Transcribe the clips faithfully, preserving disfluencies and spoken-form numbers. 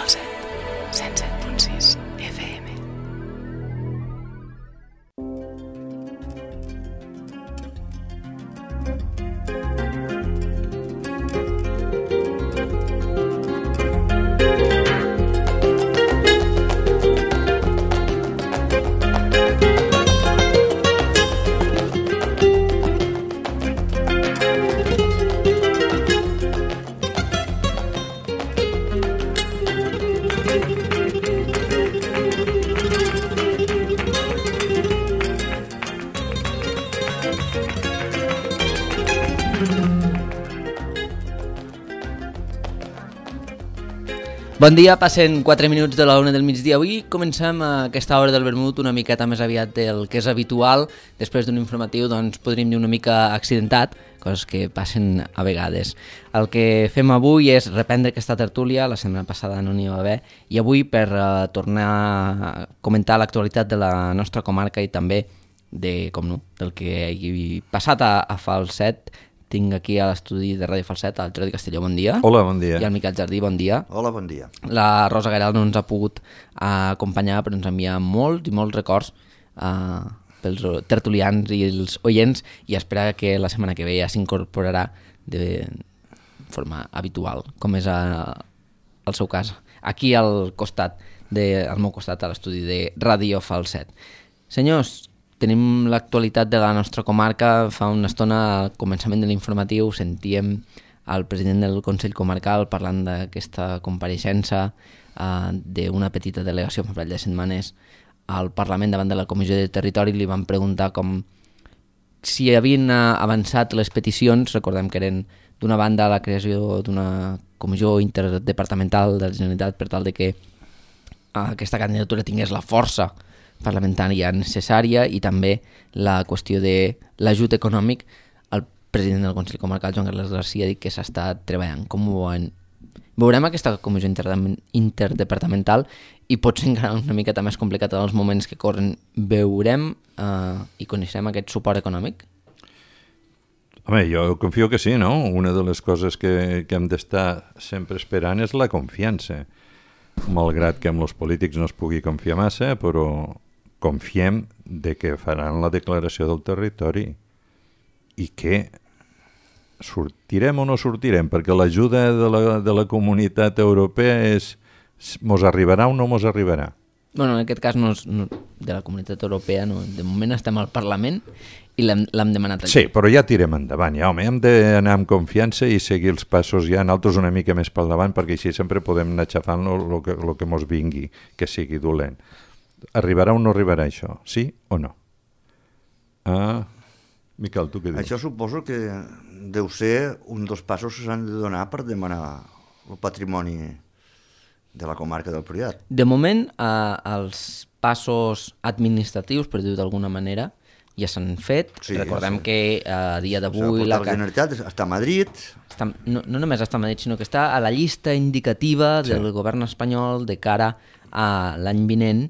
Falset, cent set punt sis F M. Bon dia, passen quatre minuts de la una del migdia. Avui comencem aquesta hora del vermut una miqueta més aviat del que és habitual. Després d'un informatiu, doncs, podríem dir una mica accidentat, coses que passen a vegades. El que fem avui és reprendre aquesta tertúlia, la setmana passada no n'hi va haver, i avui per uh, tornar a comentar l'actualitat de la nostra comarca i també de, com no, del que hi passat a, a Falset. Tinc aquí a l'estudi de Ràdio Falset el Jordi Castelló, bon dia. Hola, bon dia. I el Miquel Jardí, bon dia. Hola, bon dia. La Rosa Garal no ens ha pogut uh, acompanyar, però ens envia molts i molts records uh, pels tertulians i els oients, i espera que la setmana que ve ja s'incorporarà de forma habitual, com és uh, el seu cas, aquí al costat, de, al meu costat, a l'estudi de Ràdio Falset. Senyors, tenim l'actualitat de la nostra comarca. Fa una estona, al començament de l'informatiu, sentíem el president del Consell Comarcal parlant d'aquesta compareixença eh, d'una petita delegació fa un parell de setmanes al Parlament davant de la Comissió de Territori. Li van preguntar com si havien avançat les peticions. Recordem que eren, d'una banda, la creació d'una comissió interdepartamental de la Generalitat per tal de que aquesta candidatura tingués la força parlamentària necessària, i també la qüestió de l'ajut econòmic. El president del Consell Comarcal, Joan Carles Garcia, ha dit que s'està treballant. Com ho veuen? Veurem aquesta comissió interdepartamental i pot ser encara una miqueta més complicat en els moments que corren. Veurem eh, i coneixem aquest suport econòmic? Home, jo confio que sí, no? Una de les coses que, que hem d'estar sempre esperant és la confiança. Malgrat que amb els polítics no es pugui confiar massa, però confiem de que faran la declaració del territori i que sortirem o no sortirem, perquè l'ajuda de la, de la comunitat europea és mos arribarà o no mos arribarà. Bueno, en aquest cas no és, no, de la comunitat europea, no. De moment estem al Parlament i l'hem, l'hem demanat allà. Sí, però ja tirem endavant, ja, home, hem d'anar amb confiança i seguir els passos ja, nosaltres una mica més pel davant, perquè així sempre podem anar xafant el que, lo que mos vingui, que sigui dolent. Arribarà o no arribarà això? Sí o no? Ah, Miquel, tu què dius? Això suposo que deu ser un dels passos que s'han de donar per demanar el patrimoni de la comarca del Priorat. De moment, eh, els passos administratius, per dir-ho d'alguna manera, ja s'han fet. Sí, recordem sí. que eh, a dia d'avui... La, la Generalitat està a Madrid. Està, no, no només està a Madrid, sinó que està a la llista indicativa sí. del govern espanyol de cara a l'any vinent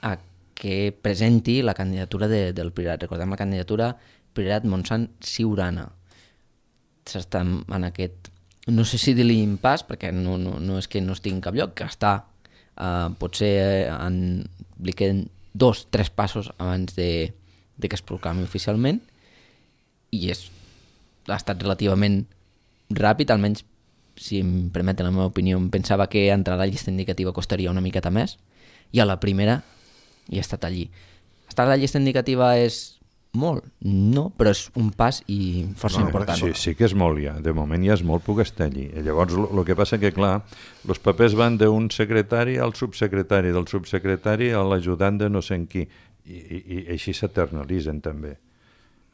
a que presenti la candidatura de, del Priorat. Recordem la candidatura Priorat Montsant Siurana. S'està en aquest... No sé si dir-li impàs, perquè no, no, no és que no estigui en cap lloc, que està... Eh, potser en, li queden dos, tres passos abans de... de que es proclami oficialment, i és, ha estat relativament ràpid, almenys si em permeten la meva opinió. Em pensava que entrar a la llista indicativa costaria una miqueta més, i a la primera hi ha estat allí. Estar a la llista indicativa és molt? No, però és un pas i força no, important. Sí, sí que és molt ja, de moment ja és molt, puc estar allí. I llavors el que passa que, clar, els papers van d'un secretari al subsecretari, del subsecretari a l'ajudant de no sé en qui, i, i, i així s'eternalitzen també.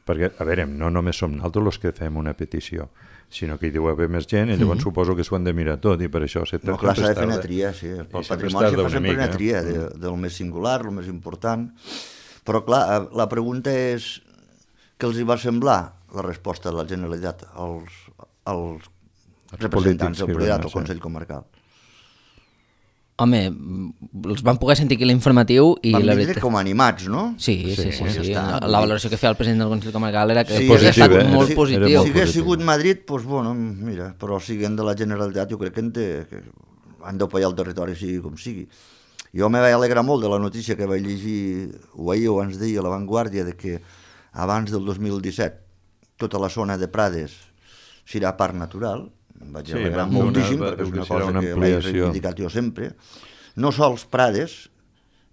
Perquè, a veure, no només som nosaltres els que fem una petició, sinó que hi deu haver més gent, i llavors mm-hmm. suposo que s'ho han de mirar tot, i per això... No, clar, s'ha de fer una tria, sí. Pel patrimoni s'ha de fer sempre una tria, de, del més singular, el més important. Però, clar, la pregunta és què els hi va semblar la resposta de la Generalitat als, als representants del Priorat, al Consell Comarcal? Home, els van poder sentir aquí l'informatiu i... Van la vindre com animats, no? Sí, sí, sí. sí, sí. La, la valoració que feia el president del Consell Comarcal era que sí, ha estat eh? molt si, positiu. Si hagués sigut Madrid, doncs, bueno, mira, però siguent de la Generalitat, jo crec que, en té, que han d'opallar el territori sigui com sigui. Jo me vaig alegrar molt de la notícia que vaig llegir, o ahir o abans d'ahir a La Vanguardia, de que abans del dos mil disset tota la zona de Prades serà parc natural. Em vaig sí, alegrar moltíssim, una, perquè és una cosa una que l'he reivindicat jo sempre. No sols Prades,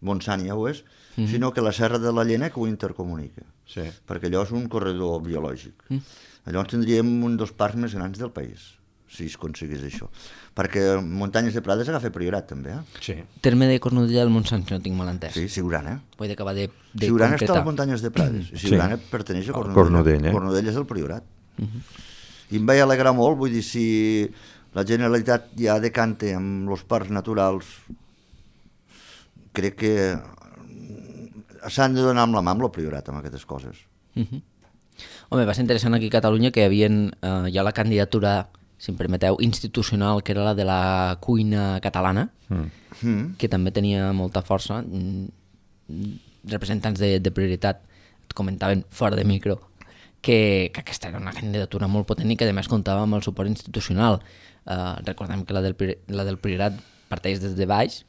Montsant ja ho és, mm-hmm. sinó que la Serra de la Llena que ho intercomunica. Sí. Perquè allò és un corredor biològic. Mm. Llavors tindríem un dels parcs més grans del país, si es aconseguís això. Perquè Muntanyes de Prades agafa Priorat, també. Eh? Sí. Terme de Cornudella del Montsant, si no tinc mal entès. Sí, Siurana. Vull acabar de, de Siurana concretar. està a les Muntanyes de Prades. Sí. Siurana perteneix a Cornudella. Cornudella. Cornudella és el Priorat. Uh-huh. I em vaig alegrar molt, vull dir, si la Generalitat ja decanta amb els parcs naturals, crec que s'han de donar amb la mà amb el Priorat, amb aquestes coses. Uh-huh. Home, va ser interessant aquí a Catalunya que hi havia eh, ja la candidatura, si em permeteu, institucional, que era la de la cuina catalana, mm. que també tenia molta força. Representants de, de Prioritat et comentaven fora de micro que, que aquesta era una candidatura molt potent i que a més comptava amb el suport institucional. Eh, recordem que la del, la del Priorat parteix des de baix,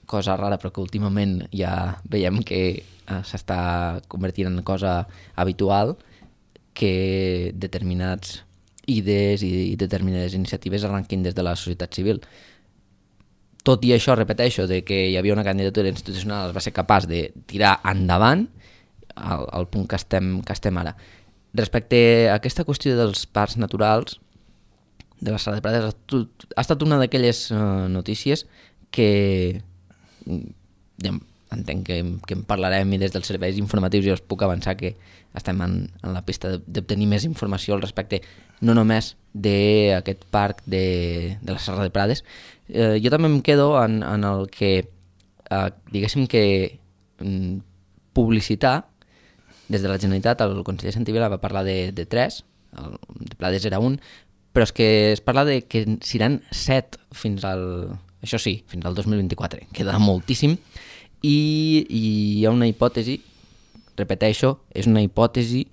cosa rara però que últimament ja veiem que eh, s'està convertint en cosa habitual, que determinats idees i determinades iniciatives arrenquin des de la societat civil. Tot i això, repeteixo, de que hi havia una candidatura institucional, es va ser capaç de tirar endavant al, al punt que estem, que estem ara. Respecte a aquesta qüestió dels parcs naturals, de la Serra de Prades, ha estat una d'aquelles uh, notícies que ja entenc que, que en parlarem i des dels serveis informatius jo us puc avançar que estem en, en la pista d'obtenir més informació al respecte no només d'aquest parc de, de la Serra de Prades. Eh, jo també em quedo en, en el que eh, diguéssim que mm, publicitar des de la Generalitat. El conseller Santivila va parlar de, de tres, el de Prades era un, però és que es parla de que seran set fins al, això sí, fins al dos mil vint-i-quatre, queda moltíssim. I, i hi ha una hipòtesi, repeteixo, és una hipòtesi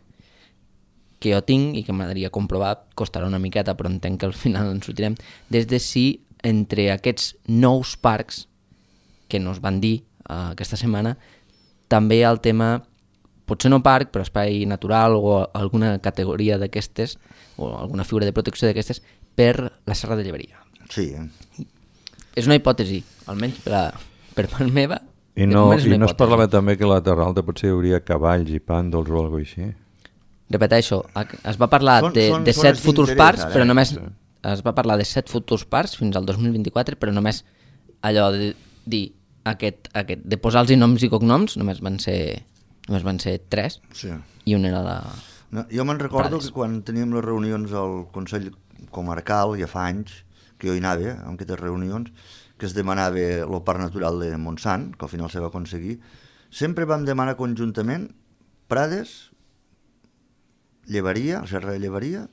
que jo tinc i que m'agradaria comprovar, costarà una miqueta però entenc que al final ens sortirem, des de si entre aquests nous parcs que nos van dir uh, aquesta setmana també hi ha el tema, potser no parc però espai natural o alguna categoria d'aquestes o alguna figura de protecció d'aquestes per la Serra de Lleberia. Sí, eh? És una hipòtesi, almenys per, a, per part meva. I no, i no es parlava també que a la Terra Alta potser hi hauria cavalls i pàndols o alguna cosa així? Repeteixo, es va parlar són, de, són, de set futurs parcs, ara, però només sí. es va parlar de set futurs parcs fins al dos mil vint-i-quatre, però només allò de dir aquest, aquest, de posar-los noms i cognoms, només van ser, només van ser tres, sí. I un era la... No, jo me'n recordo Prades. Que quan teníem les reunions al Consell Comarcal, ja fa anys, que jo hi anava, en aquestes reunions, que es demanava el Parc Natural de Montsant, que al final se va aconseguir, sempre vam demanar conjuntament Prades, Lleberia, la Serra de Lleberia,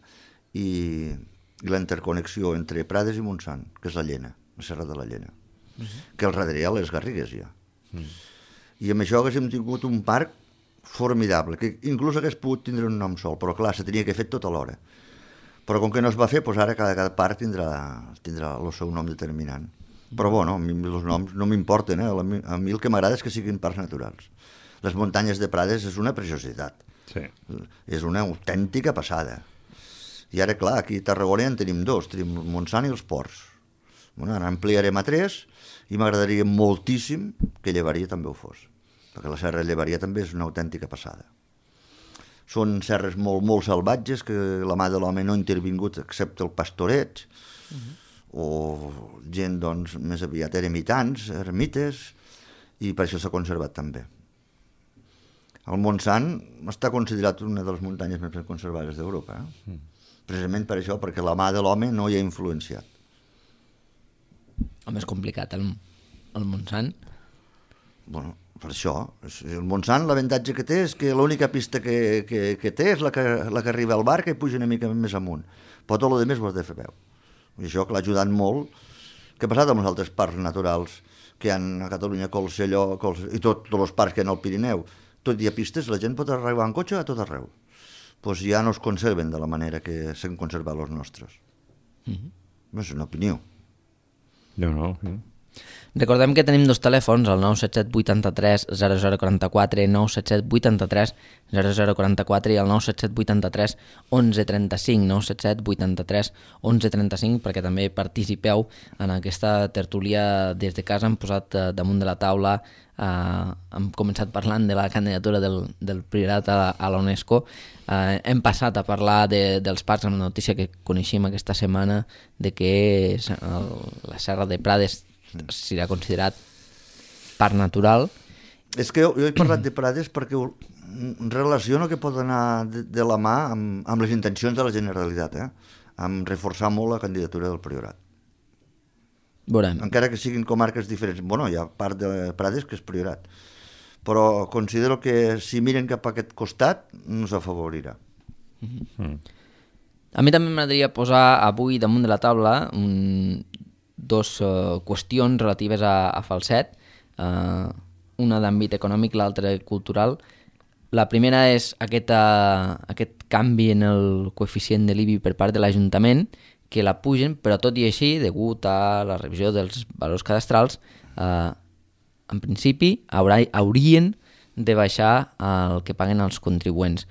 i, i la interconnexió entre Prades i Montsant, que és la Llena, la Serra de la Llena, uh-huh. que al darrere hi ha les Garrigues ja. Uh-huh. I amb això haguéssim tingut un parc formidable, que inclús hagués pogut tindre un nom sol, però clar, se tenia que fer tot alhora. Però com que no es va fer, doncs ara cada, cada parc tindrà, tindrà el seu nom determinant. Però bueno, a mi els noms no m'importen, eh? A mi el que m'agrada és que siguin parcs naturals. Les muntanyes de Prades és una preciositat. Sí. És una autèntica passada. I ara, clar, aquí a Tarragona en tenim dos, tenim el Montsant i els Ports. Bueno, ara ampliarem a tres i m'agradaria moltíssim que Lleberia també ho fos, perquè la Serra de Lleberia també és una autèntica passada. Són serres molt, molt salvatges que la mà de l'home no ha intervingut excepte el pastoreig, uh-huh. o gent doncs, més aviat ermitans, ermites, i per això s'ha conservat també. El Montsant està considerat una de les muntanyes més ben conservades d'Europa, eh? Mm. Precisament per això, perquè la mà de l'home no hi ha influenciat. Home, és complicat, el, el Montsant. Bueno, per això. El Montsant, l'avantatge que té és que l'única pista que, que, que té és la que, la que arriba al bar, que puja una mica més amunt. Però tot el demés ho has de fer peu. I això que l'ha ajudat molt. Què ha passat amb els altres parcs naturals que hi ha a Catalunya, Colselló, Cols... i tot, tots els parcs que hi ha al Pirineu? Tot hi ha pistes, la gent pot arribar en cotxe a tot arreu. Doncs pues ja no es conserven de la manera que s'han conservat els nostres. Mm-hmm. És una opinió. No, no, sí. Recordem que tenim dos telèfons, el nou set set vuitanta-tres zero zero quaranta-quatre, nou set set vuitanta-tres zero zero quaranta-quatre i el nou set set vuitanta-tres onze trenta-cinc, nou set set vuitanta-tres onze trenta-cinc, perquè també participeu en aquesta tertúlia des de casa. Hem posat eh, damunt de la taula, eh, hem començat parlant de la candidatura del, del Priorat a, a la UNESCO, eh, hem passat a parlar de, dels parcs, amb la notícia que coneixíem aquesta setmana de que el, la Serra de Prades serà considerat parc natural. És que jo, jo he parlat de Prades perquè relaciono que pot anar de, de la mà amb, amb les intencions de la Generalitat, eh? Amb reforçar molt la candidatura del Priorat. Veurem. Encara que siguin comarques diferents. Bueno, hi ha part de Prades que és Priorat. Però considero que si miren cap a aquest costat no s'afavorirà. Mm-hmm. A mi també m'agradaria posar avui damunt de la taula un... dos uh, qüestions relatives a, a Falset, uh, una d'àmbit econòmic, l'altra cultural. La primera és aquest, uh, aquest canvi en el coeficient de l'I B I per part de l'Ajuntament, que la pugen, però tot i així, degut a la revisió dels valors cadastrals, uh, en principi haurà, haurien de baixar el que paguen els contribuents.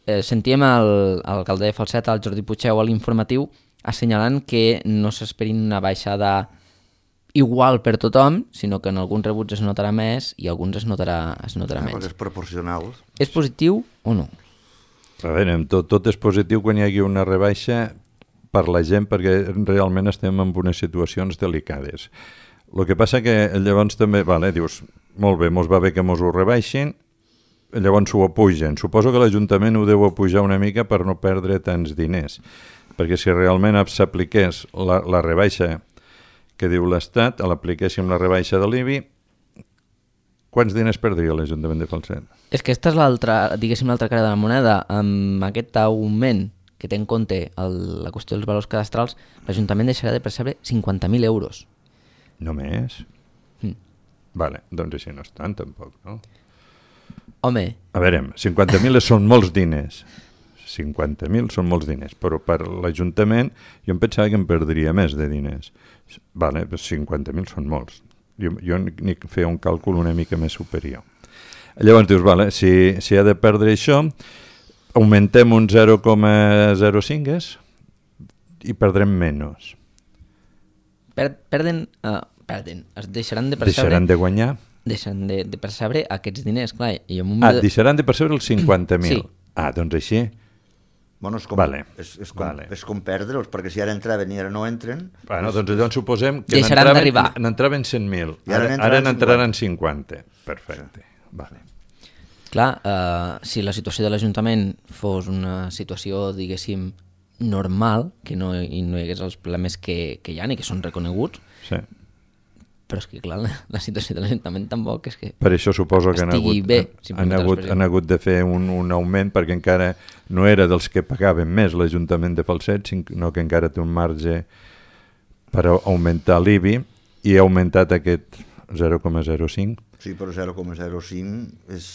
Eh, sentíem l'alcalde de Falset, el Jordi Puigdeu, a l'informatiu, assenyalant que no s'esperin una baixada igual per tothom, sinó que en alguns rebuts es notarà més i alguns es notarà, es notarà ah, menys. Perquè és proporcional. És positiu o no? A veure, tot, tot és positiu quan hi hagi una rebaixa per la gent, perquè realment estem en unes situacions delicades. El que passa que llavors també, vale, dius, molt bé, mos va bé que mos ho rebaixin, llavors ho apugen. Suposo que l'Ajuntament ho deu apujar una mica per no perdre tants diners, perquè si realment s'apliqués la, la rebaixa que diu l'Estat, l'apliquéssim la rebaixa de l'I B I, quants diners perdria l'Ajuntament de Falset? És que aquesta és l'altra, diguéssim, l'altra cara de la moneda. Amb aquest augment que té en compte el, la qüestió dels valors cadastrals, l'Ajuntament deixarà de percebre cinquanta mil euros. Només? Mm. Vale, doncs així no és tant, tampoc, no? Home... A veure, cinquanta mil són molts diners. cinquanta mil són molts diners, però per l'Ajuntament jo em pensava que em perdria més de diners. Vale, cinquanta mil són molts. Jo, jo ni feia un càlcul una mica més superior. Llavors dius, vale, si, si ha de perdre això, augmentem un zero coma zero cinc i perdrem menys. Per, perden, uh, perden, es deixaran de percebre... Deixaran de guanyar? Deixaran de, de percebre aquests diners, clar. I en un ah, de... deixaran de percebre els cinquanta mil. Sí. Ah, doncs així... Bueno, és com, vale. és, és com, vale. és com perdre'ls, perquè si ara entraven i ara no entren... Bueno, doncs llavors suposem que n'entraven cent mil, ara, ara n'entraran cinquanta. Perfecte, sí. Vale. Clar, uh, si la situació de l'Ajuntament fos una situació, diguéssim, normal, que no, i no hi hagués els problemes que, que hi ha i que són reconeguts, sí. Però és que, clar, la, la situació de l'Ajuntament tampoc és que... Per això suposo que han hagut, bé, han, hagut, han hagut de fer un, un augment, perquè encara no era dels que pagaven més l'Ajuntament de Falset, sinó que encara té un marge per augmentar l'I B I i ha augmentat aquest zero coma zero cinc. Sí, però zero coma zero cinc és...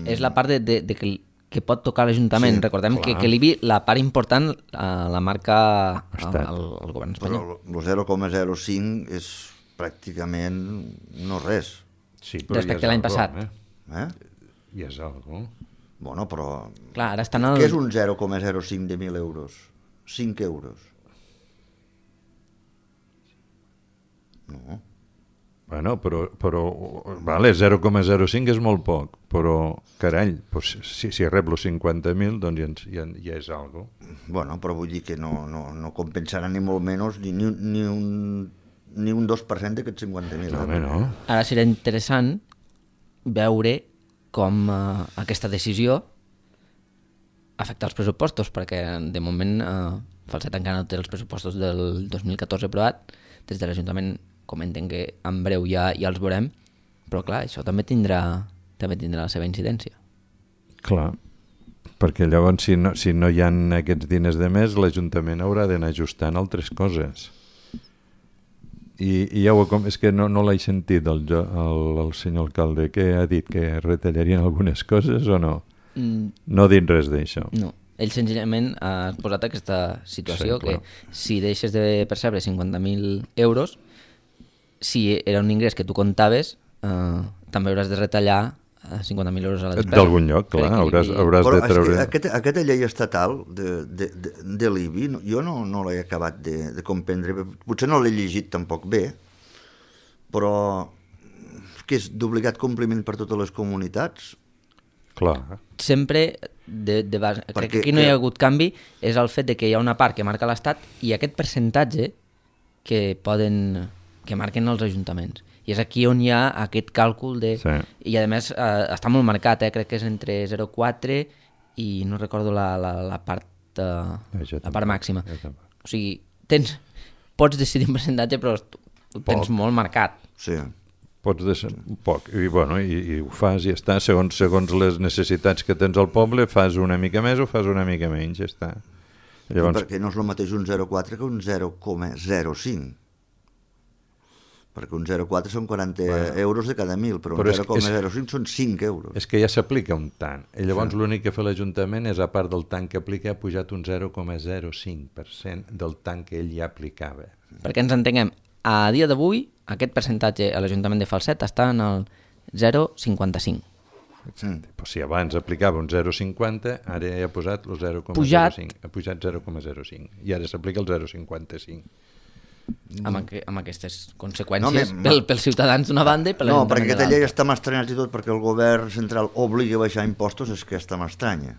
És la part de, de, de que, que pot tocar l'Ajuntament. Sí, Recordem clar. que, que l'I B I, la part important, uh, la marca el, el, el govern espanyol. Però el zero coma zero cinc és... pràcticament no res. Sí, respecte a l'any passat. Eh? Eh? I és algo. Bueno, però... Clar, ara estan el... Què és un zero coma zero cinc de mil euros? cinc euros. No. Bueno, però, però vale, zero coma zero cinc és molt poc, però, carall, pues, si, si rep els cinquanta mil, doncs ja, ja, ja és algo. Bueno, però vull dir que no, no, no compensarà ni molt menys ni, ni, ni un... ni un dos per cent d'aquests cinquanta mil. No, no. Ara serà interessant veure com uh, aquesta decisió afecta els pressupostos, perquè de moment uh, Falset encara no té els pressupostos del dos mil catorze aprovat. Des de l'Ajuntament comenten que en breu ja, ja els veurem, però clar, això també tindrà, també tindrà la seva incidència. Clar, perquè llavors si no, si no hi ha aquests diners de més, l'Ajuntament haurà d'anar ajustant altres coses. I, i ja ho, és que no, no l'he sentit el, el, el senyor alcalde, que ha dit que retallarien algunes coses o no? Mm. No ha dit res d'això. No, ell senzillament ha posat aquesta situació, sí, que si deixes de percebre cinquanta mil euros, si era un ingrés que tu comptaves, eh, també hauràs de retallar cinquanta mil euros a la despesa. D'algun lloc, clar, hauràs, hauràs Però de treure... Aquesta, aquesta llei estatal de, de, de, de l'I B I, jo no, no l'he acabat de, de comprendre, potser no l'he llegit tampoc bé, però que és d'obligat compliment per totes les comunitats. Clar. Sempre, de, de base, Perquè, crec que aquí no hi ha hagut canvi, és el fet de que hi ha una part que marca l'Estat i aquest percentatge que poden, que marquen els ajuntaments. I és aquí on hi ha aquest càlcul de... Sí. I a més eh, està molt marcat, eh? Crec que és entre zero coma quatre i no recordo la, la, la part, eh, la part màxima. O sigui, tens, pots decidir un percentatge però ho tens Poc. molt marcat. Sí. Pots decidir un poc, i, bueno, i, i ho fas i ja està, segons, segons les necessitats que tens al poble, fas una mica més o fas una mica menys, ja està. Llavors... Perquè no és el mateix un zero coma quatre que un zero coma zero cinc. Perquè un zero coma quatre són quaranta bueno, euros de cada mil, però, però un zero coma zero cinc són cinc euros. És que ja s'aplica un tant. I llavors sí. L'únic que fa l'Ajuntament és, a part del tant que aplica, ha pujat un zero coma zero cinc per cent del tant que ell ja aplicava. Perquè ens entenguem, a dia d'avui aquest percentatge a l'Ajuntament de Falset està en el zero coma cinquanta-cinc. Mm. Però si abans aplicava un zero coma cinquanta, ara ja ha posat el zero coma zero cinc. Ha pujat zero coma zero cinc. I ara s'aplica el zero coma cinquanta-cinc. Amb, aqu amb aquestes conseqüències no, pel, pels ciutadans d'una banda i per no, perquè aquesta llei està m'estranyat i tot perquè el govern central obligui a baixar impostos, és que està m'estranya.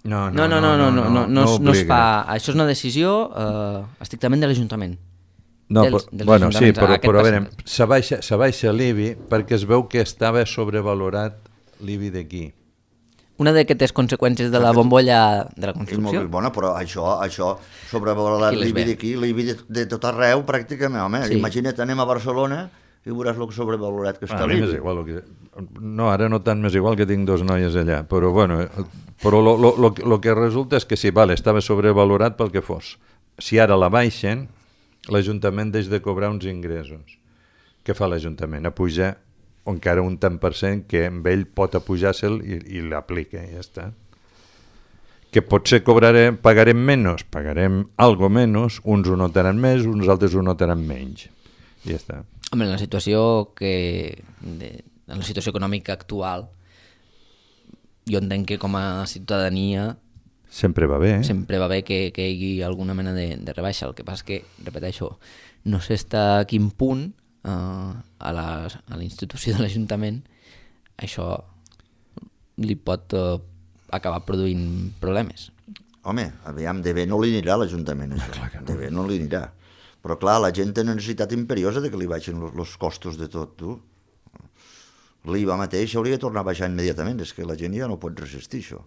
No, no, no, no, no, no, no, no, no es fa. Això és una decisió eh, estrictament de l'Ajuntament. No, dels, dels bueno, sí, però, però a veure, se baixa, se baixa l'I B I perquè es veu que estava sobrevalorat l'I B I d'aquí. Una d'aquestes conseqüències de la bombolla de la construcció. Molt bona, però això, això sobrevalorar l'I B I d'aquí, l'I B I de, de tot arreu, pràcticament, home, sí. Imagina't, anem a Barcelona i veuràs el sobrevalorat que està a mi m'és igual, que... no, ara no tant m'és igual que tinc dos noies allà, però bueno, però lo, lo, lo, lo que resulta és que sí, vale, estava sobrevalorat pel que fos. Si ara la baixen, l'Ajuntament deix de cobrar uns ingressos. Què fa l'Ajuntament? A pujar o encara un tant per cent que amb ell pot apujar-se'l i, i l'aplica, i ja està. Que potser cobrarem, pagarem menys, pagarem algo menys, uns ho notaran més, uns altres ho notaran menys. I ja està. Home, en la situació que... De, en la situació econòmica actual, jo entenc que com a ciutadania... Sempre va bé, eh? Sempre va bé que, que hi hagi alguna mena de, de rebaixa. El que passa és que, repeteixo, no sé fins a quin punt Uh, a, la, a la institució de l'Ajuntament això li pot uh, acabar produint problemes. Home, aviam, de bé no li anirà a l'Ajuntament això, no. De bé no li anirà, però clar, la gent té necessitat imperiosa de que li baixin els costos de tot, tu. L'I V A mateix hauria de tornar a baixar immediatament, és que la gent ja no pot resistir això.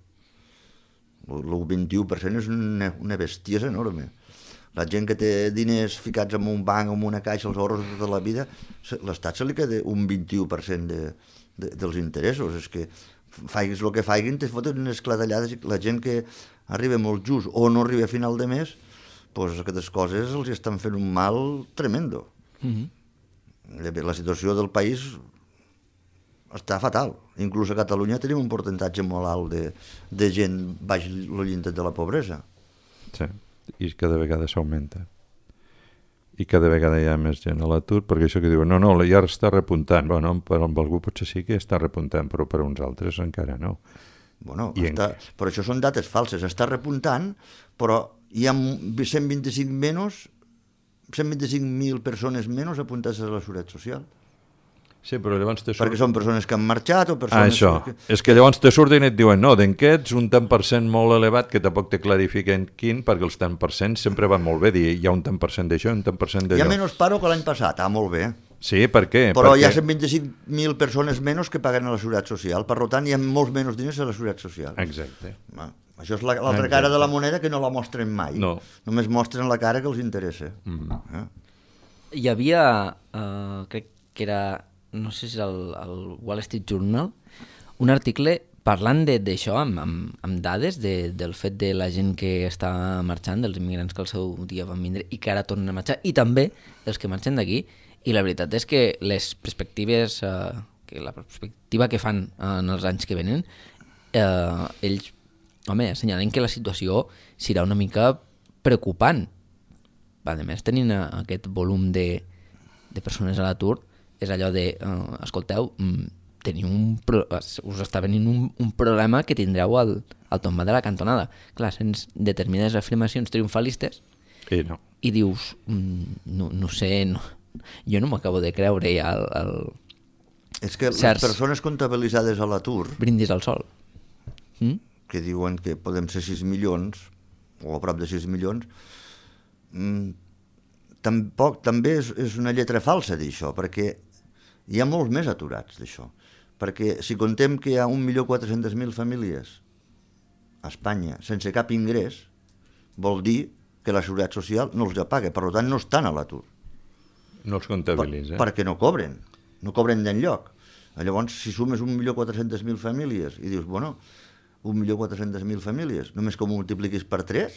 El vint-i-u per cent és una, una bestiesa enorme. La gent que té diners ficats en un banc o en una caixa, els ahorros de tota la vida, l'Estat se li queda un vint-i-u per cent de, de, dels interessos. És que faiguis el que faiguin, te foten unes clatellades i la gent que arriba molt just o no arriba a final de mes, doncs aquestes coses els estan fent un mal tremendo. Mm-hmm. La situació del país està fatal. Inclús a Catalunya tenim un percentatge molt alt de, de gent baix el llindar de la pobresa. Sí. I cada vegada s'augmenta. I cada vegada hi ha més gent a l'atur, perquè això que diuen, no, no, ja està repuntant. Bueno, per amb algú potser sí que està repuntant, però per uns altres encara no. Bueno, està, en... però això són dates falses. Està repuntant, però hi ha cent vint-i-cinc menys, cent vint-i-cinc mil persones menys apuntades a la Seguretat Social. Sí, però llavors te surt... Perquè són persones que han marxat o persones... Ah, això. Que... És que llavors te surten i et diuen no, d'enquests un tant per cent molt elevat que tampoc te clarifiquen quin, perquè els tant per cent sempre van molt bé, dir hi ha un tant per cent d'això, un tant per cent d'allò. Hi ha menys paro que l'any passat, ah, molt bé. Sí, per què? Però Perquè... hi ha cent vint-i-cinc mil persones menys que paguen a la Seguretat Social, per tant hi ha molts menys diners a la Seguretat Social. Exacte. Ah, això és l'altra la, cara de la moneda que no la mostren mai. No. Només mostren la cara que els interessa. Mm-hmm. eh? Hi havia, uh, crec que era... no sé si és el, el Wall Street Journal, un article parlant d'això, amb, amb, amb dades de, del fet de la gent que està marxant, dels immigrants que al seu dia van vindre i que ara tornen a marxar, i també els que marxen d'aquí, i la veritat és que les perspectives, eh, que la perspectiva que fan en els anys que venen, eh, ells, home, assenyalen que la situació serà una mica preocupant. A més, tenint aquest volum de de persones a l'atur és allò de, uh, escolteu, mm, teniu un pro... us està venint un, un problema que tindreu al, al tombar de la cantonada. Clar, sents determinades afirmacions triomfalistes I no. i dius, mm, no, no sé, no, jo no m'acabo de creure ja el, el... És que certs... les persones comptabilitzades a l'atur, brindis al sol. Mm? que diuen que podem ser sis milions, o a prop de sis milions, mm, tampoc, també és, és una lletra falsa d'això, perquè hi ha molts més aturats d'això. Perquè si contem que hi ha un milió quatre-centes mil famílies a Espanya sense cap ingrés, vol dir que la Seguretat Social no els ja paga, per tant no estan a l'atur. No els comptabilitza. Per, perquè no cobren, no cobren d'enlloc. Llavors, si sumes un milió quatre-centes mil famílies i dius, bueno, un milió quatre-centes mil famílies, només que ho multipliquis per tres,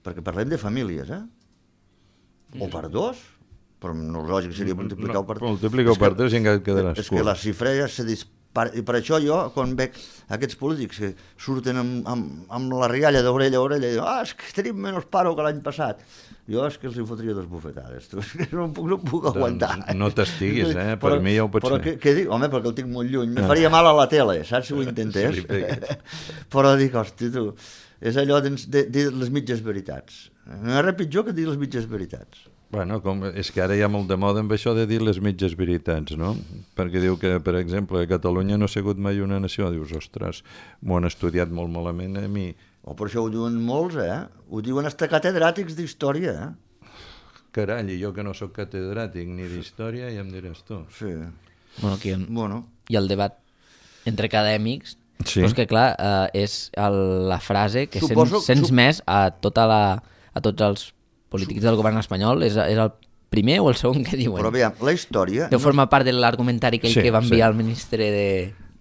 perquè parlem de famílies, eh? O per dos, però no lògic seria multiplicar-ho per tres. No, multiplicar-ho per tres i encara et quedaràs curt. És que la xifra ja se dispara, i per això jo, quan veig aquests polítics que surten amb, amb, amb la rialla d'orella a orella i diuen, ah, és que tenim menys paro que l'any passat, jo és que els hi fotria dos bufetades, tu, és que no puc, no puc aguantar. Doncs no t'estiguis, eh? Per però, mi ja ho pots però fer. Què, què dic? Home, perquè el tinc molt lluny, me faria mal a la tele, saps si ho intentés? Sí, però dic, hosti, tu, és allò de, de, de les mitges veritats. No hi ha res pitjor que dir les mitges veritats. Bueno, com, és que ara hi ha molt de moda amb això de dir les mitges veritats, no? Perquè diu que, per exemple, Catalunya no ha sigut mai una nació. Dius, ostres, m'ho han estudiat molt malament a mi. O per això ho diuen molts, eh? Ho diuen hasta catedràtics d'història, eh? Carai, i jo que no sóc catedràtic ni d'història, ja em diràs tu. Sí. Bueno, aquí en... Bueno. I el debat entre acadèmics, sí. Però és que clar, eh, és el, la frase que Suposo, sents, sents sup... més a, tota la, a tots els polítics del govern espanyol, és, és el primer o el segon que diuen. Però aviam, la història... Deu formar part de l'argumentari aquell sí, que va enviar sí. el ministre de,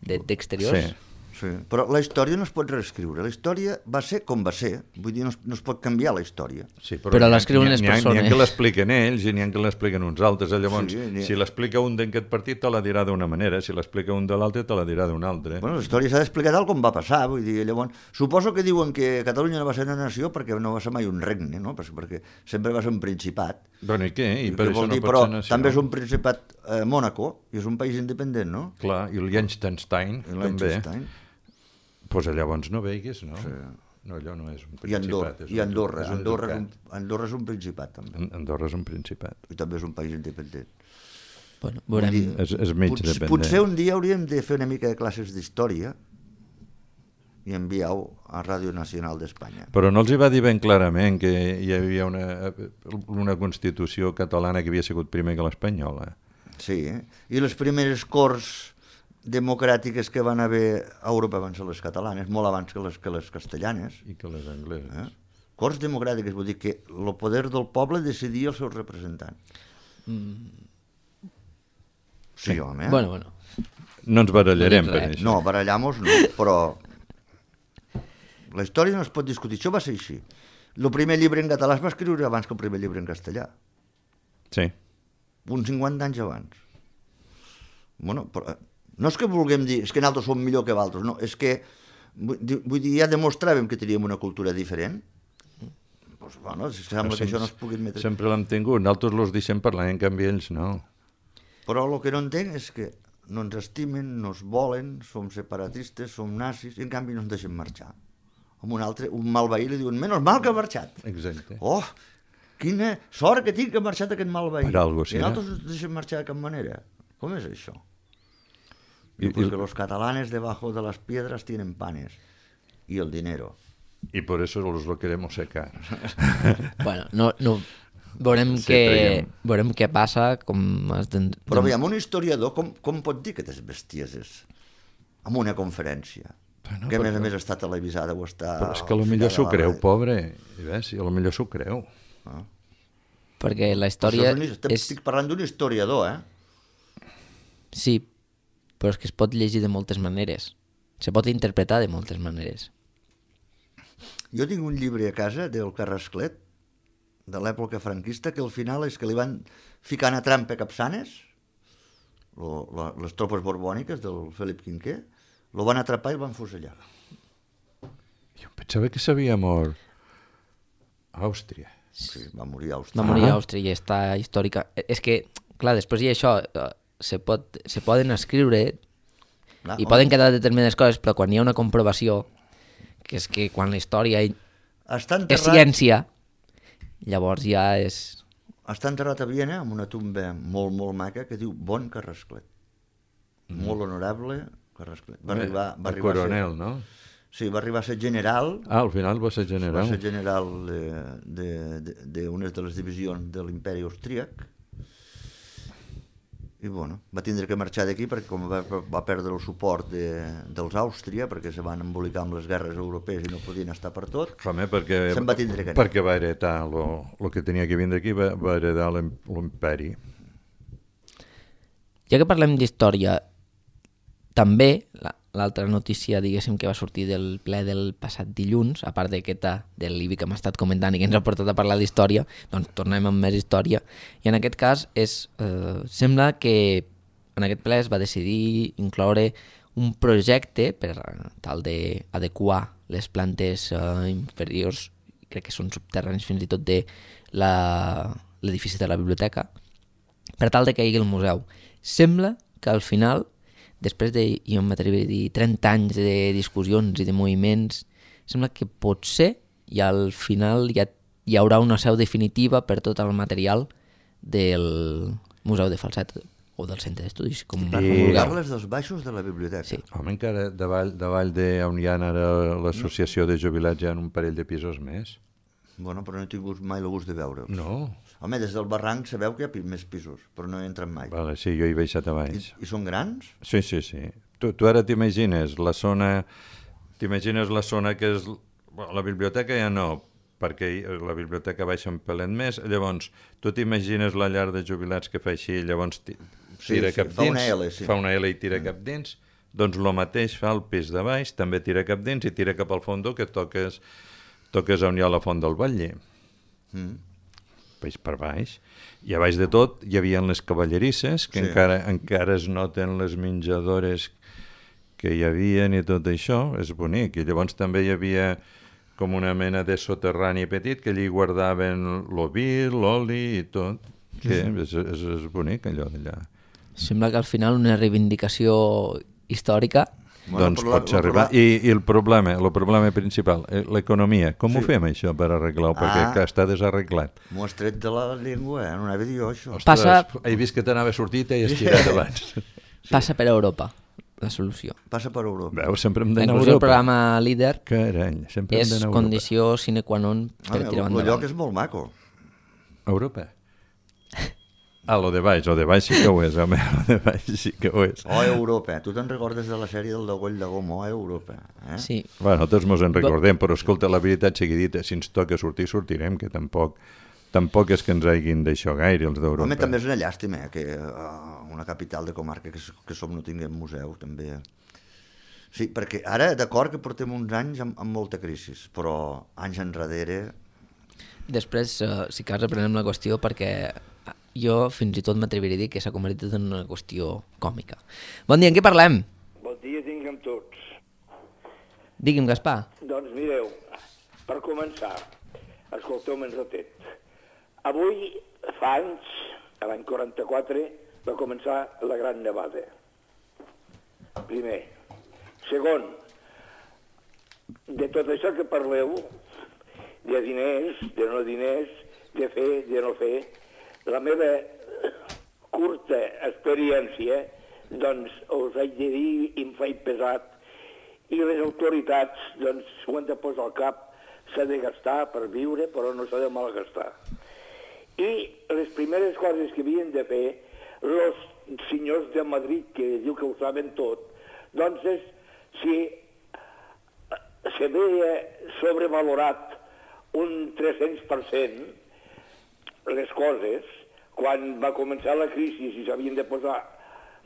de, d'Exteriors. Sí. Sí, però la història no es pot reescriure. La història va ser com va ser. Vull dir, no es, no es pot canviar la història. Sí, però però l'escriuen les persones. N'hi ha que l'expliquen ells i n'hi ha que l'expliquen uns altres. Llavors, Sí, si l'explica un d'aquest partit, te la dirà d'una manera. Si l'explica un de l'altre, te la dirà d'una altra. Bueno, la història s'ha d'explicar tal com va passar. Vull dir, llavors, suposo que diuen que Catalunya no va ser una nació perquè no va ser mai un regne, no? Perquè sempre va ser un principat. Bueno, i què? I per que això no dir, pot però ser nació. també és un principat eh, Mònaco i és un país independent, no? Clar, i el Liechtenstein, I també. Liechtenstein. Pues llavors no veiguis, no? Sí. No, allò no és un I principat. Andorra, és i un, Andorra. és un Andorra, és un, ducat. Andorra és un principat, també. Andorra és un principat. I també és un país independent. Bueno, veurem... Vull dir, És, és mig Pot, dependent. potser un dia hauríem de fer una mica de classes d'història i enviar-ho a Ràdio Nacional d'Espanya. Però no els hi va dir ben clarament que hi havia una, una Constitució catalana que havia sigut primer que l'espanyola. Sí, eh? I les primeres corts democràtiques que van haver a Europa van ser les catalanes, molt abans que les, que les castellanes. I que les angleses. Eh? Corts democràtiques, vull dir que el poder del poble decidia els seus representants. Mm. Sí, home. Eh? Bueno, bueno. No ens barallarem No per dic res. això. No, barallamos no, però la història no es pot discutir. Això va ser així. El primer llibre en català es va escriure abans que el primer llibre en castellà. Sí. Uns cinquanta anys abans. Bueno, però no és que vulguem dir, és que nosaltres som millor que altres, no, és que, vull dir, ja demostràvem que teníem una cultura diferent. Pues, bueno, sembla que això no es pugui admetre. Sempre l'hem tingut, nosaltres els deixem parlar, en canvi ells no. Però el que no entenc és que no ens estimen, no ens volen, som separatistes, som nazis, i en canvi no ens deixen marxar. Amb un altre, un mal veí li diuen, menys mal que ha marxat. Exacte. Oh, quina sort que tinc que ha marxat aquest mal veí. Per algo, sí, I eh? nosaltres ens deixem marxar de cap manera. Com és això? I, Y porque i, los catalanes debajo de las piedras tienen panes y el dinero. I por eso los lo queremos secar. Bueno, no, no... Veurem, Sí, què, traiem. veurem què passa, com es... Den... Però aviam, un historiador com, com pot dir aquestes bestieses en una conferència? Bueno, que a més perquè- a més està televisada o està... Però és que al potser s'ho final de la creu, ràdio. pobre. I ves, i potser s'ho creu. Ah. Perquè la Això història és un, estic, és... estic parlant d'un historiador, eh? Sí, però és que es pot llegir de moltes maneres. Se pot interpretar de moltes maneres. Jo tinc un llibre a casa del Carrasclet, de l'època franquista, que al final és que li van ficant a trampa Capçanes, lo, lo, les tropes borbòniques del Felip Quinquer, lo van atrapar i el van fusellar. Jo em pensava que s'havia mort a Àustria. Sí, va morir a Va Àustria. morir a Ah. Àustria i està històrica... És que, clar, després i això, eh, se, pot, se poden escriure Clar, i home. poden quedar determinades coses, però quan hi ha una comprovació, que és que quan la història Està és enterrat, ciència, llavors ja és... està enterrat a Viena amb una tomba molt, molt maca que diu Bon Carrasclet. Mm. Molt honorable Carrasclet. Va arribar, va el arribar coronel, a ser, no? Sí, va arribar a ser general, Ah, al final va ser general. va ser general d'unes de, de, de, de, de les divisions de l'imperi austríac. I bueno, va tindre que marxar d'aquí perquè com va, va perdre el suport de, dels Àustria, perquè se van embolicar amb les guerres europees i no podien estar per tot, Home, perquè, se'n va tindre que anar. perquè va heretar el que tenia que vindre aquí, va, va heredar l'im- l'imperi. Ja que parlem d'història, també la- l'altra notícia, diguéssim, que va sortir del ple del passat dilluns, a part d'aquesta del l'I B I que hem estat comentant i que ens ha portat a parlar d'història, doncs tornem amb més història. I en aquest cas és, eh, sembla que en aquest ple es va decidir incloure un projecte per tal d'adequar les plantes eh, inferiors, crec que són subterranis fins i tot, de la- l'edifici de la biblioteca, per tal de que hi hagi el museu. Sembla que al final, després de, jo m'atreviria a dir, trenta anys de discussions i de moviments, sembla que potser i al final hi, ha, hi haurà una seu definitiva per tot el material del Museu de Falset o del Centre d'Estudis, com Per vulgueu. comunicar-les dels baixos de la biblioteca. Sí. Home, encara davall, davall de on hi ha ara l'associació de jubilats hi ha un parell de pisos més. Bueno, però no he tingut mai el gust de veure-ho. No? Home, des del barranc sabeu que hi ha pi- més pisos, però no hi entren mai. Vale, sí, jo hi he baixat a I, baix. I són grans? Sí, sí, sí. Tu, tu ara t'imagines la zona... T'imagines la zona que és... Bueno, la biblioteca ja no, perquè la biblioteca baixa un pelet més. Llavors, tu t'imagines la llar de jubilats que fa així, llavors ti- Sí, tira sí, cap fa dins. una L, sí. Fa una L i tira mm. cap dins. Doncs el mateix fa el pis de baix, també tira cap dins i tira cap al fondo, que toques, toques on hi ha la font del Batlle. Mm. Peix per baix. I a baix de tot hi havia les cavallerisses, que Sí. encara, encara es noten les menjadores que hi havia i tot això, és bonic. I llavors també hi havia com una mena de soterrani petit que allí guardaven l'oví, l'oli i tot. Que és, és, és bonic allò d'allà. Sembla que al final una reivindicació històrica. Bueno, Doncs però la- pots la- arribar. la- I, I el problema, el problema principal, eh, l'economia. Com ho Sí. fem això per arreglar-ho? Perquè Ah. que està desarreglat. M'ho has tret de la llengua, eh? No anava a dir jo, això. Ostres, Passa- he vist que t'anava sortit i has tirat abans. Passa per Europa, la solució. Passa per Europa. Veus, sempre hem d'anar a Inclús el Europa. programa líder Carany, sempre hem és d'anar a Europa. condició sine qua non per Ah, tirar el, el lloc endavant. és molt maco. Europa? Ah, lo de baix, lo de baix sí que ho és, home, lo de baix sí que ho és. Oh, Europa. Tu te'n recordes de la sèrie del Degoll de Goma? Oh, Europa. Eh? Sí, Bueno, tots mos en recordem, però escolta, la veritat sigui dita, si ens toca sortir, sortirem, que tampoc, tampoc és que ens hagin d'això gaire, els d'Europa. Home, també és una llàstima eh, que uh, una capital de comarca que, s- que som no tinguem museu, també. Sí, perquè ara, d'acord que portem uns anys amb, amb molta crisi, però anys enrere... després eh, si cas reprenem la qüestió perquè jo fins i tot m'atreviria a dir que s'ha convertit en una qüestió còmica. Bon dia, en què parlem? Bon dia tinguem tots. Digui'm, Gaspar. Doncs mireu, per començar, escolteu-me un ratet. Avui, fa anys, a l'any quaranta-quatre, va començar la Gran Nevada. Primer. Segon, de tot això que parleu, de diners, de no diners, de fer, de no fer, la meva curta experiència, doncs us haig de dir i em faig pesat, i les autoritats, doncs, s'ho han de posar al cap, s'ha de gastar per viure, però no s'ha de malgastar. I les primeres coses que havien de fer els senyors de Madrid, que diu que ho saben tot, doncs és si s'havia sobrevalorat un tres-cents per cent les coses, quan va començar la crisi i s'havien de posar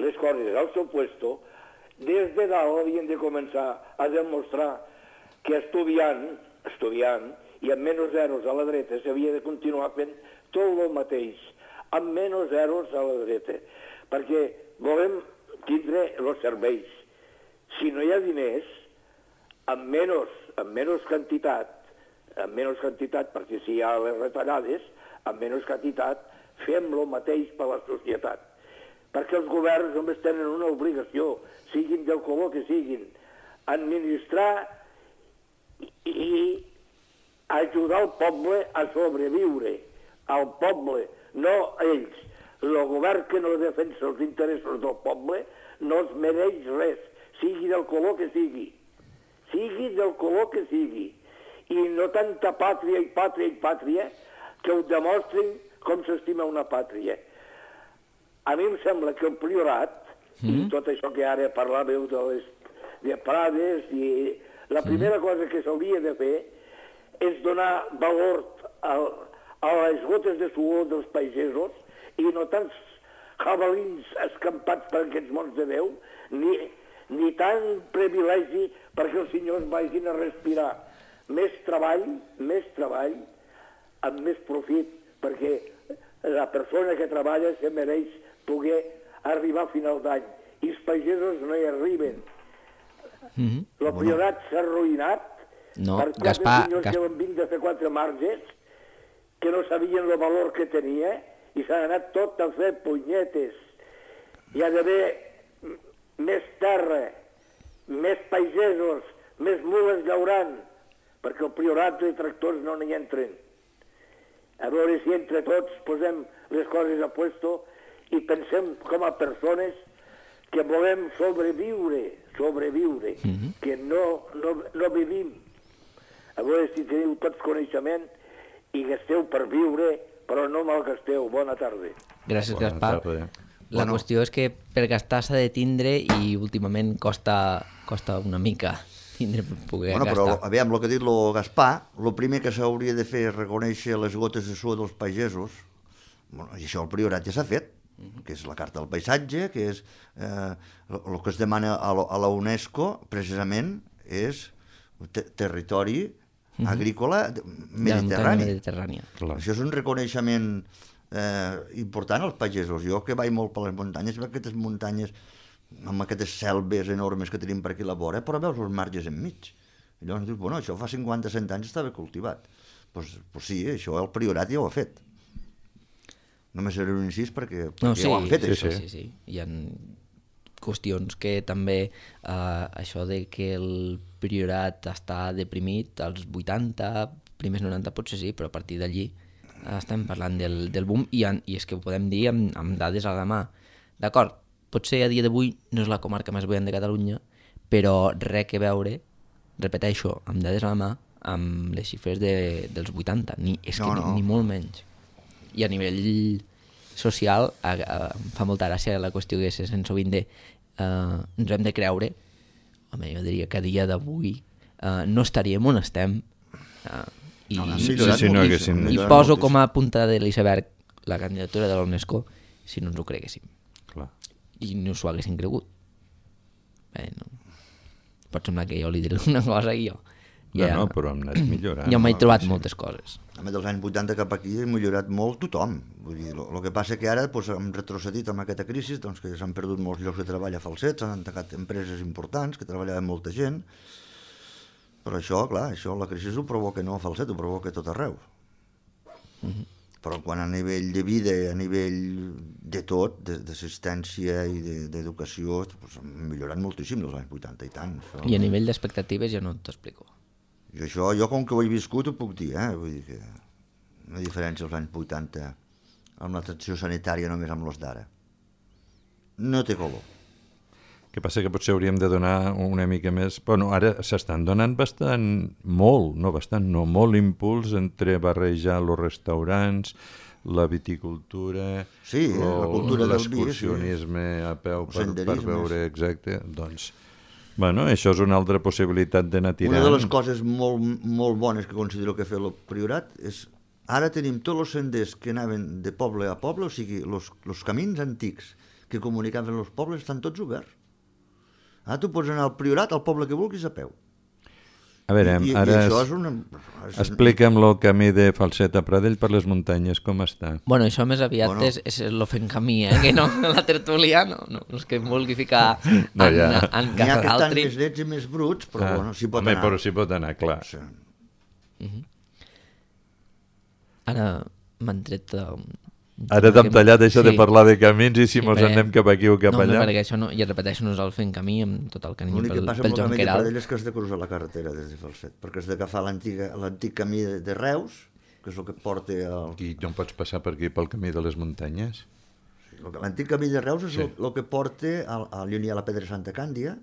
les coses al seu puesto, des de dalt havien de començar a demostrar que estudiant, estudiant, i amb menys zeros a la dreta s'havia de continuar fent tot el mateix, amb menys zeros a la dreta, perquè volem tindre els serveis. Si no hi ha diners, amb menys, amb menys quantitat, amb menys quantitat, perquè si hi ha les retallades, amb menys quantitat fem el mateix per la societat. Perquè els governs només tenen una obligació, siguin del color que siguin, administrar i ajudar el poble a sobreviure. Al poble, no ells. El govern que no defensa els interessos del poble no es mereix res, sigui del color que sigui. Sigui del color que sigui. I no tanta pàtria i pàtria i pàtria que ho demostrin com s'estima una pàtria. A mi em sembla que el priorat, mm. i tot això que ara parlàveu de les de prades, i la primera mm. cosa que s'hauria de fer és donar valor a, a les gotes de suor dels pagesos i no tants jabalins escampats per aquests mons de Déu, ni, ni tant privilegi perquè els senyors vagin a respirar. Més treball, més treball, amb més profit, perquè la persona que treballa se mereix poder arribar a final d'any. I els pagesos no hi arriben. Mm-hmm. El priorat s'ha arruïnat no, per quatre Gaspar, senyors Gas... que van vindre a fer quatre marges, que no sabien el valor que tenia, i s'han anat tot a fer punyetes. Hi ha d'haver més terra, més pagesos, més mules llaurant, perquè el priorat de tractors no n'hi entren. A veure si entre tots posem les coses a puesto i pensem com a persones que volem sobreviure, sobreviure, mm-hmm. que no, no, no vivim. A veure si teniu tots coneixement i gasteu per viure, però no malgasteu. Bona tarda. Gràcies, Bona Gaspar. tarda. La Bueno. qüestió és que per gastar s'ha de tindre i últimament costa, costa una mica tindre per poder Bueno, gastar. però, aviam, el que ha dit el Gaspar, el primer que s'hauria de fer és reconèixer les gotes de suor dels pagesos, bueno, i això el priorat ja s'ha fet, que és la Carta del Paisatge, que és eh, el que es demana a la, a la UNESCO, precisament, és te territori Mhm. agrícola De la mediterrani. muntanya mediterrània. Clar. Això és un reconeixement eh, important als pagesos. Jo que vaig molt per les muntanyes, veig aquestes muntanyes amb aquestes selves enormes que tenim per aquí a la vora, però veus els marges enmig. I llavors dius, bueno, això fa cinquanta cent anys estava cultivat. Doncs pues, pues sí, això el priorat ja ho ha fet. Només era un incís perquè, perquè No, sí, ja ho han fet, sí, això. sí, sí, sí. Hi ha qüestions que també eh, això de que el priorat està deprimit als vuitanta, primers noranta potser sí, però a partir d'allí eh, estem parlant del, del boom i, en, i és que ho podem dir amb, amb dades a la mà. D'acord, potser a dia d'avui no és la comarca més buena de Catalunya, però res que veure, repeteixo, amb dades a la mà, amb les xifres de, dels vuitanta, ni, és No, que no. ni, ni molt menys. I a nivell social a, a, em fa molta gràcia la qüestió que se sent sovint de uh, ens hem de creure, home, jo diria que a dia d'avui uh, no estaríem on estem uh, i, No, Sí, sí, sí, sí, no moltíssim, haguéssim- ha i millorat poso moltíssim. com a punta de l'iceberg la candidatura de l'UNESCO si no ens ho creguéssim Clar. i no s'ho haguessin cregut. Bé, no. Pot semblar que jo li diré una cosa i jo No, ja, no, però hem anat millorant. jo m'he no? trobat Sí. moltes coses. A més dels anys vuitanta cap aquí ha millorat molt tothom. Vull dir, el que passa que ara doncs, hem retrocedit amb aquesta crisi, doncs, que s'han perdut molts llocs de treball a falsets, s'han tancat empreses importants que treballaven molta gent, però això, clar, això la crisi ho provoca no a falset, ho provoca a tot arreu. Mm-hmm. Però quan a nivell de vida, a nivell de tot, de- d'assistència i de- d'educació, doncs, han millorat moltíssim dels anys vuitanta i tant. Això. I a nivell d'expectatives ja no t'explico. I això, jo com que ho he viscut, ho puc dir, eh? Vull dir que una diferència als anys vuitanta amb l'atenció sanitària només amb los d'ara. No té color. Que passa que potser hauríem de donar una mica més... Bueno, ara s'estan donant bastant, molt, no bastant, no, molt impuls entre barrejar els restaurants, la viticultura, Sí, eh, la cultura del vi, sí. l'excursionisme a peu per, per Senderismes. veure exacte. Doncs, bueno, això és una altra possibilitat d'anar tirant. Una de les coses molt, molt bones que considero que ha fet el Priorat és ara tenim tots els senders que anaven de poble a poble, o sigui, els camins antics que comunicaven els pobles estan tots oberts. Ara tu pots anar al Priorat, al poble que vulguis, a peu. A veure, I, i, ara i això es- és una... És... explica'm el camí de Falset a Pradell per les muntanyes, com està? Bueno, això més aviat Bueno. és, és lo fent camí, eh? Que no la tertúlia, no, no, no és que em vulgui ficar en, No, ja. en N'hi ha casa que estan d'altri. més nets i més bruts, però Ah, bueno, s'hi pot home, anar. però s'hi pot anar, clar. Sí. Ara m'han tret um, Ara t'hem tallat això sí. de parlar de camins i si Sí, mos perquè- anem cap aquí o cap no, allà. No, perquè això no, i repeteixo, no és el fent camí amb tot el carinyo L'únic que pel, passa pel amb el Joan camí de Queralt. Pradell és que has de cruzar la carretera des de Falset, perquè has d'agafar l'antiga- l'antic camí de, de Reus, que és el que et porta al... I no pots passar per aquí pel camí de les muntanyes? L'antic camí de Reus és Sí. el, el que porta al, al on hi ha la Pedra Santa Càndia,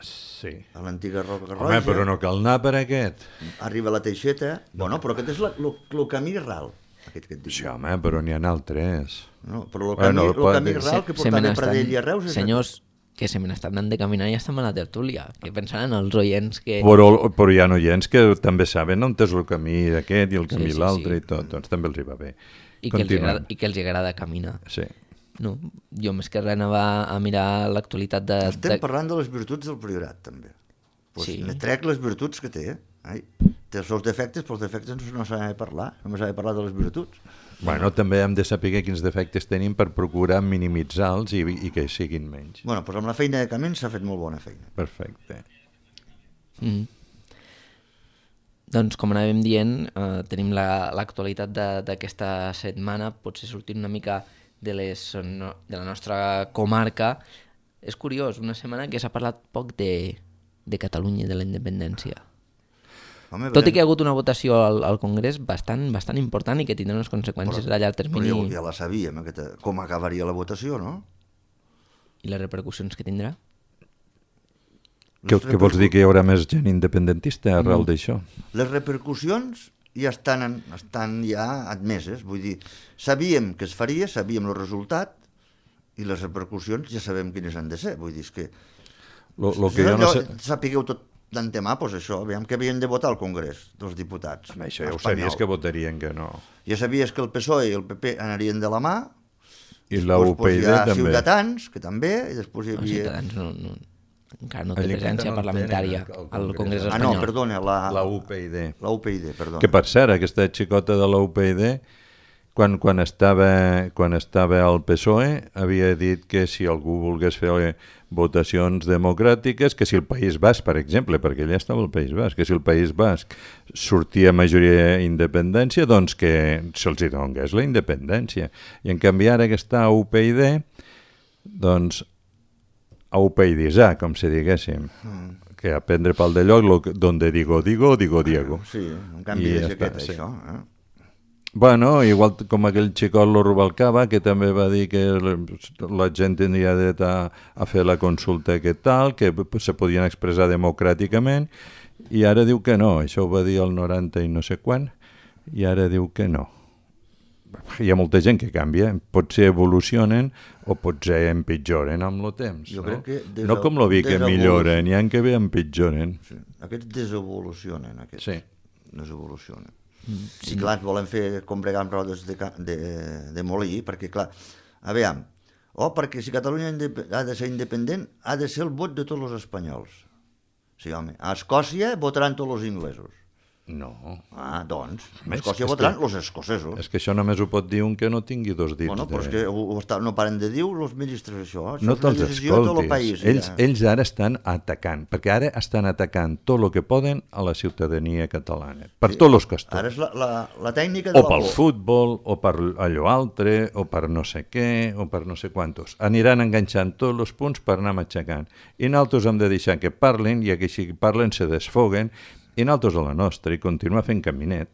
Sí. a l'antiga Roca Home, Roja, però no cal anar per aquest. arriba a la Teixeta... Bueno, però aquest és el camí ral, aquest que et dic. Sí, home, però n'hi ha altres. No, però el Bueno, camí, el pot- el camí ral que Se- se porta me de n'estan- Pradell i a Reus és Senyors, que se me n'estan anant de caminar i estan a la tertúlia. Que pensaran els oients que... Però, però hi ha oients que també saben on és el camí aquest i el camí Sí, sí, l'altre sí. i tot, doncs també els hi va bé. I que, els Continuem. agrada, I que els agrada caminar. Sí. No, jo més que res anava a mirar l'actualitat de... Estem de... parlant de les virtuts del Priorat, també. Pues Sí. ne trec les virtuts que té. Ai, té els seus defectes, però els defectes no s'ha de parlar, només s'ha de parlar de les virtuts. Bueno, també hem de saber quins defectes tenim per procurar minimitzar-los i, i que siguin menys. Bueno, doncs amb la feina de camins s'ha fet molt bona feina. Perfecte. Mm. Doncs, com anàvem dient, eh, tenim la- l'actualitat la, d'aquesta setmana, potser sortint una mica de, les, no, de la nostra comarca. És curiós, una setmana que s'ha parlat poc de, de Catalunya i de la independència. Home, Tot i veurem- que hi ha hagut una votació al, al Congrés bastant, bastant important i que tindrà unes conseqüències a llarg però termini ja, ja la sabíem, aquesta, com acabaria la votació, no? i les repercussions que tindrà. Què, què vols dir, que hi haurà més gent independentista arrel Mm. d'això? Les repercussions ja estan, en, estan ja admeses, vull dir, sabíem que es faria, sabíem el resultat, i les repercussions ja sabem quines han de ser, vull dir, és que... Lo, lo que jo no sé... Sapigueu tot d'antemà, doncs això, aviam que havien de votar al Congrés dels diputats. Home, això ja ho espanyol. sabies que votarien que no. Ja sabies que el P S O E i el P P anarien de la mà, I la U P I D hi ha també. Ciutadans, que també, i després hi Els havia... ciutadans no, no, encara no té Allà presència encara no parlamentària tenen al al Congrés. Congrés Ah, espanyol. no, perdona, la, La U P I D. la U P I D, perdona. Que per cert, aquesta xicota de la U P I D, quan, quan, estava, quan estava al P S O E, havia dit que si algú volgués fer votacions democràtiques, que si el País Basc, per exemple, perquè ella estava al País Basc, que si el País Basc sortia majoria independència, doncs que se'ls hi donés la independència. I en canvi ara que està a U P I D, doncs a U P I D-sa, com si diguéssim, mm. que a prendre pel de lloc, lo, que- donde digo, digo, digo Diego. Sí, un canvi I de ja jaqueta, està, sí. això. Eh? Bueno, igual com aquell xicot lo Rubalcaba, que també va dir que la gent tindria dret a, a fer la consulta que tal, que se podien expressar democràticament, i ara diu que no. Això ho va dir el noranta i no sé quan, i ara diu que no. Hi ha molta gent que canvia, potser evolucionen o potser empitjoren amb el temps. Jo no? crec que des no del- com lo vi que des del milloren, hi ha que bé empitjoren. Sí. Aquests desevolucionen, aquests. Sí. Desevolucionen. Mm, Sí, clar, ens volen fer com bregar amb rodes de, ca- de, de molí, perquè, clar, aviam, oh, perquè si Catalunya indep- ha de ser independent, ha de ser el vot de tots els espanyols. Sí, home, a Escòcia votaran tots els inglesos. No. Ah, doncs, a Més, Escòcia és votaran que- els escocesos. És que això només ho pot dir un que no tingui dos dits. Bueno, però és de... que ho, ho està, no paren de dir els ministres això. Això No és una te'ls decisió de tot el escoltis. país. Ells, ja. ells ara estan atacant, perquè ara estan atacant tot el que poden a la ciutadania catalana, per Sí. tots els costums. Ara és la, la, la tècnica de O la pel por. futbol, o per allò altre, o per no sé què, o per no sé quantos. Aniran enganxant tots els punts per anar matxacant. I nosaltres hem de deixar que parlin, i que si parlen se desfoguen, i nosaltres a la nostra, i continuar fent caminet.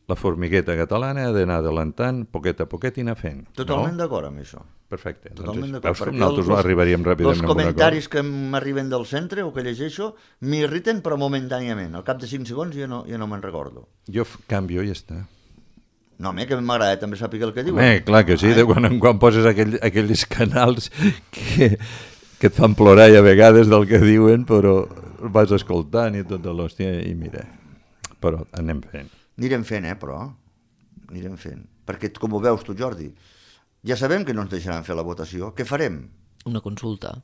La formigueta catalana ha d'anar adelantant, poquet a poquet, i anar fent. Totalment no? d'acord amb això. Perfecte. Totalment Doncs, d'acord. veus com perquè nosaltres els- arribaríem ràpidament Els a un acord? comentaris que m'arriben del centre o que llegeixo m'irriten però momentàniament. Al cap de cinc segons ja no, ja no me'n recordo. Jo f- canvio i ja està. No, home, que m'agrada també saber el que diuen. Home, clar que sí, de quan en quan poses aquell, aquells canals que, que et fan plorar i a vegades del que diuen, però vas escoltant i tota l'hòstia, i mira, però anem fent. Anirem fent, eh, però. Anirem fent. Perquè, com ho veus tu, Jordi, ja sabem que no ens deixaran fer la votació. Què farem? Una consulta.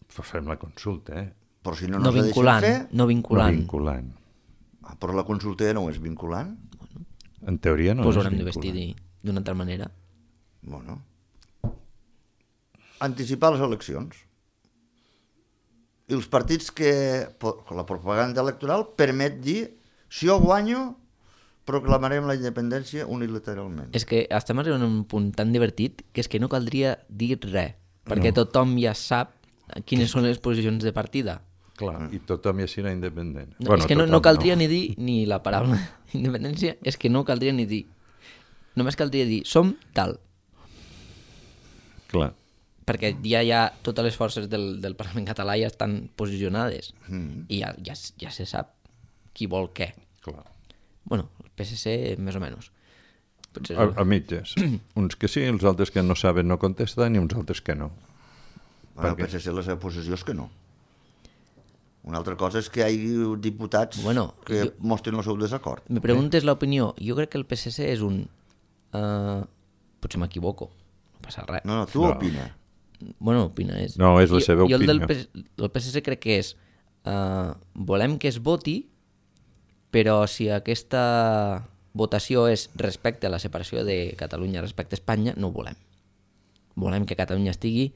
Fem la consulta, eh? Però si no, No, no ens la deixen vinculant, fer... no No vinculant. vinculant. Ah, però la consulta ja no és vinculant. En teoria no Pues és haurem de vinculant. vestir d'una altra manera. Bueno. Anticipar les eleccions. I els partits que... po- La propaganda electoral permet dir si jo guanyo, proclamarem la independència unilateralment. És que estem arribant a un punt tan divertit que és que no caldria dir res, perquè no. tothom ja sap quines són les posicions de partida. Clar, i tothom ja serà independent. No, bueno, és que no, no caldria no. ni dir ni la paraula independència, és que no caldria ni dir. Només caldria dir, som tal. Clar. Perquè ja hi ha totes les forces del, del Parlament català ja estan posicionades mm. i ja, ja, ja se sap qui vol què. Clar. Bueno, el P S C més o menys. Potser... A, a mitges. Uns que sí, els altres que no saben no contesten i uns altres que no. Bueno, el P S C la seva posició és que no. Una altra cosa és que hi hagi diputats bueno, que jo... mostren el seu desacord. Me preguntes eh? l'opinió. Jo crec que el P S C és un... Uh, potser m'equivoco. No passa res. No, no, tu no. opina. Bueno, opina. És... No, és la seva jo, opinió. Jo el del P... el P S C crec que és... Uh, volem que es voti, però si aquesta votació és respecte a la separació de Catalunya respecte a Espanya, no ho volem. Volem que Catalunya estigui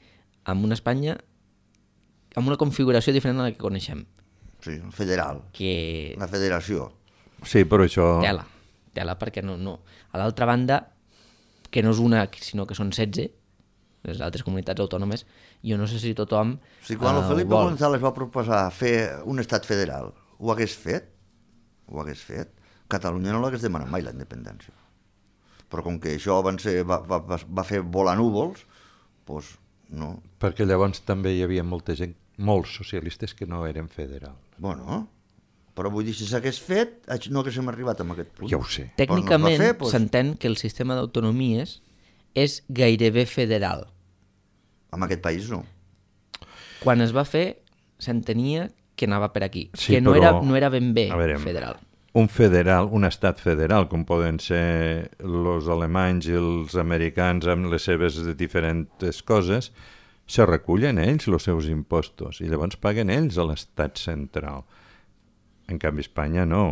en una Espanya amb una configuració diferent a la que coneixem. Sí, federal. Que... La federació. Sí, però això... Tela, tela, perquè no... no. A l'altra banda, que no és una, sinó que són setze, les altres comunitats autònomes, jo no sé si tothom... Si quan el uh, Felipe vol... González va proposar fer un estat federal, ho hagués fet? Ho hagués fet? Catalunya no l'hagués demanat mai, la independència. Però com que això van ser, va, va, va fer volar núvols, doncs no. Perquè llavors també hi havia molta gent, molts socialistes que no eren federals. Bueno, però vull dir, si s'hagués fet, no haguéssim arribat a aquest punt. Ja ho sé. Tècnicament no doncs... s'entén que el sistema d'autonomies és gairebé federal. En aquest país no. Quan es va fer, s'entenia que anava per aquí, sí, que no, però... era, no era ben bé veure, federal. Un federal, un estat federal, com poden ser els alemanys i els americans amb les seves diferents coses, se recullen ells els seus impostos i llavors paguen ells a l'estat central. En canvi, Espanya no.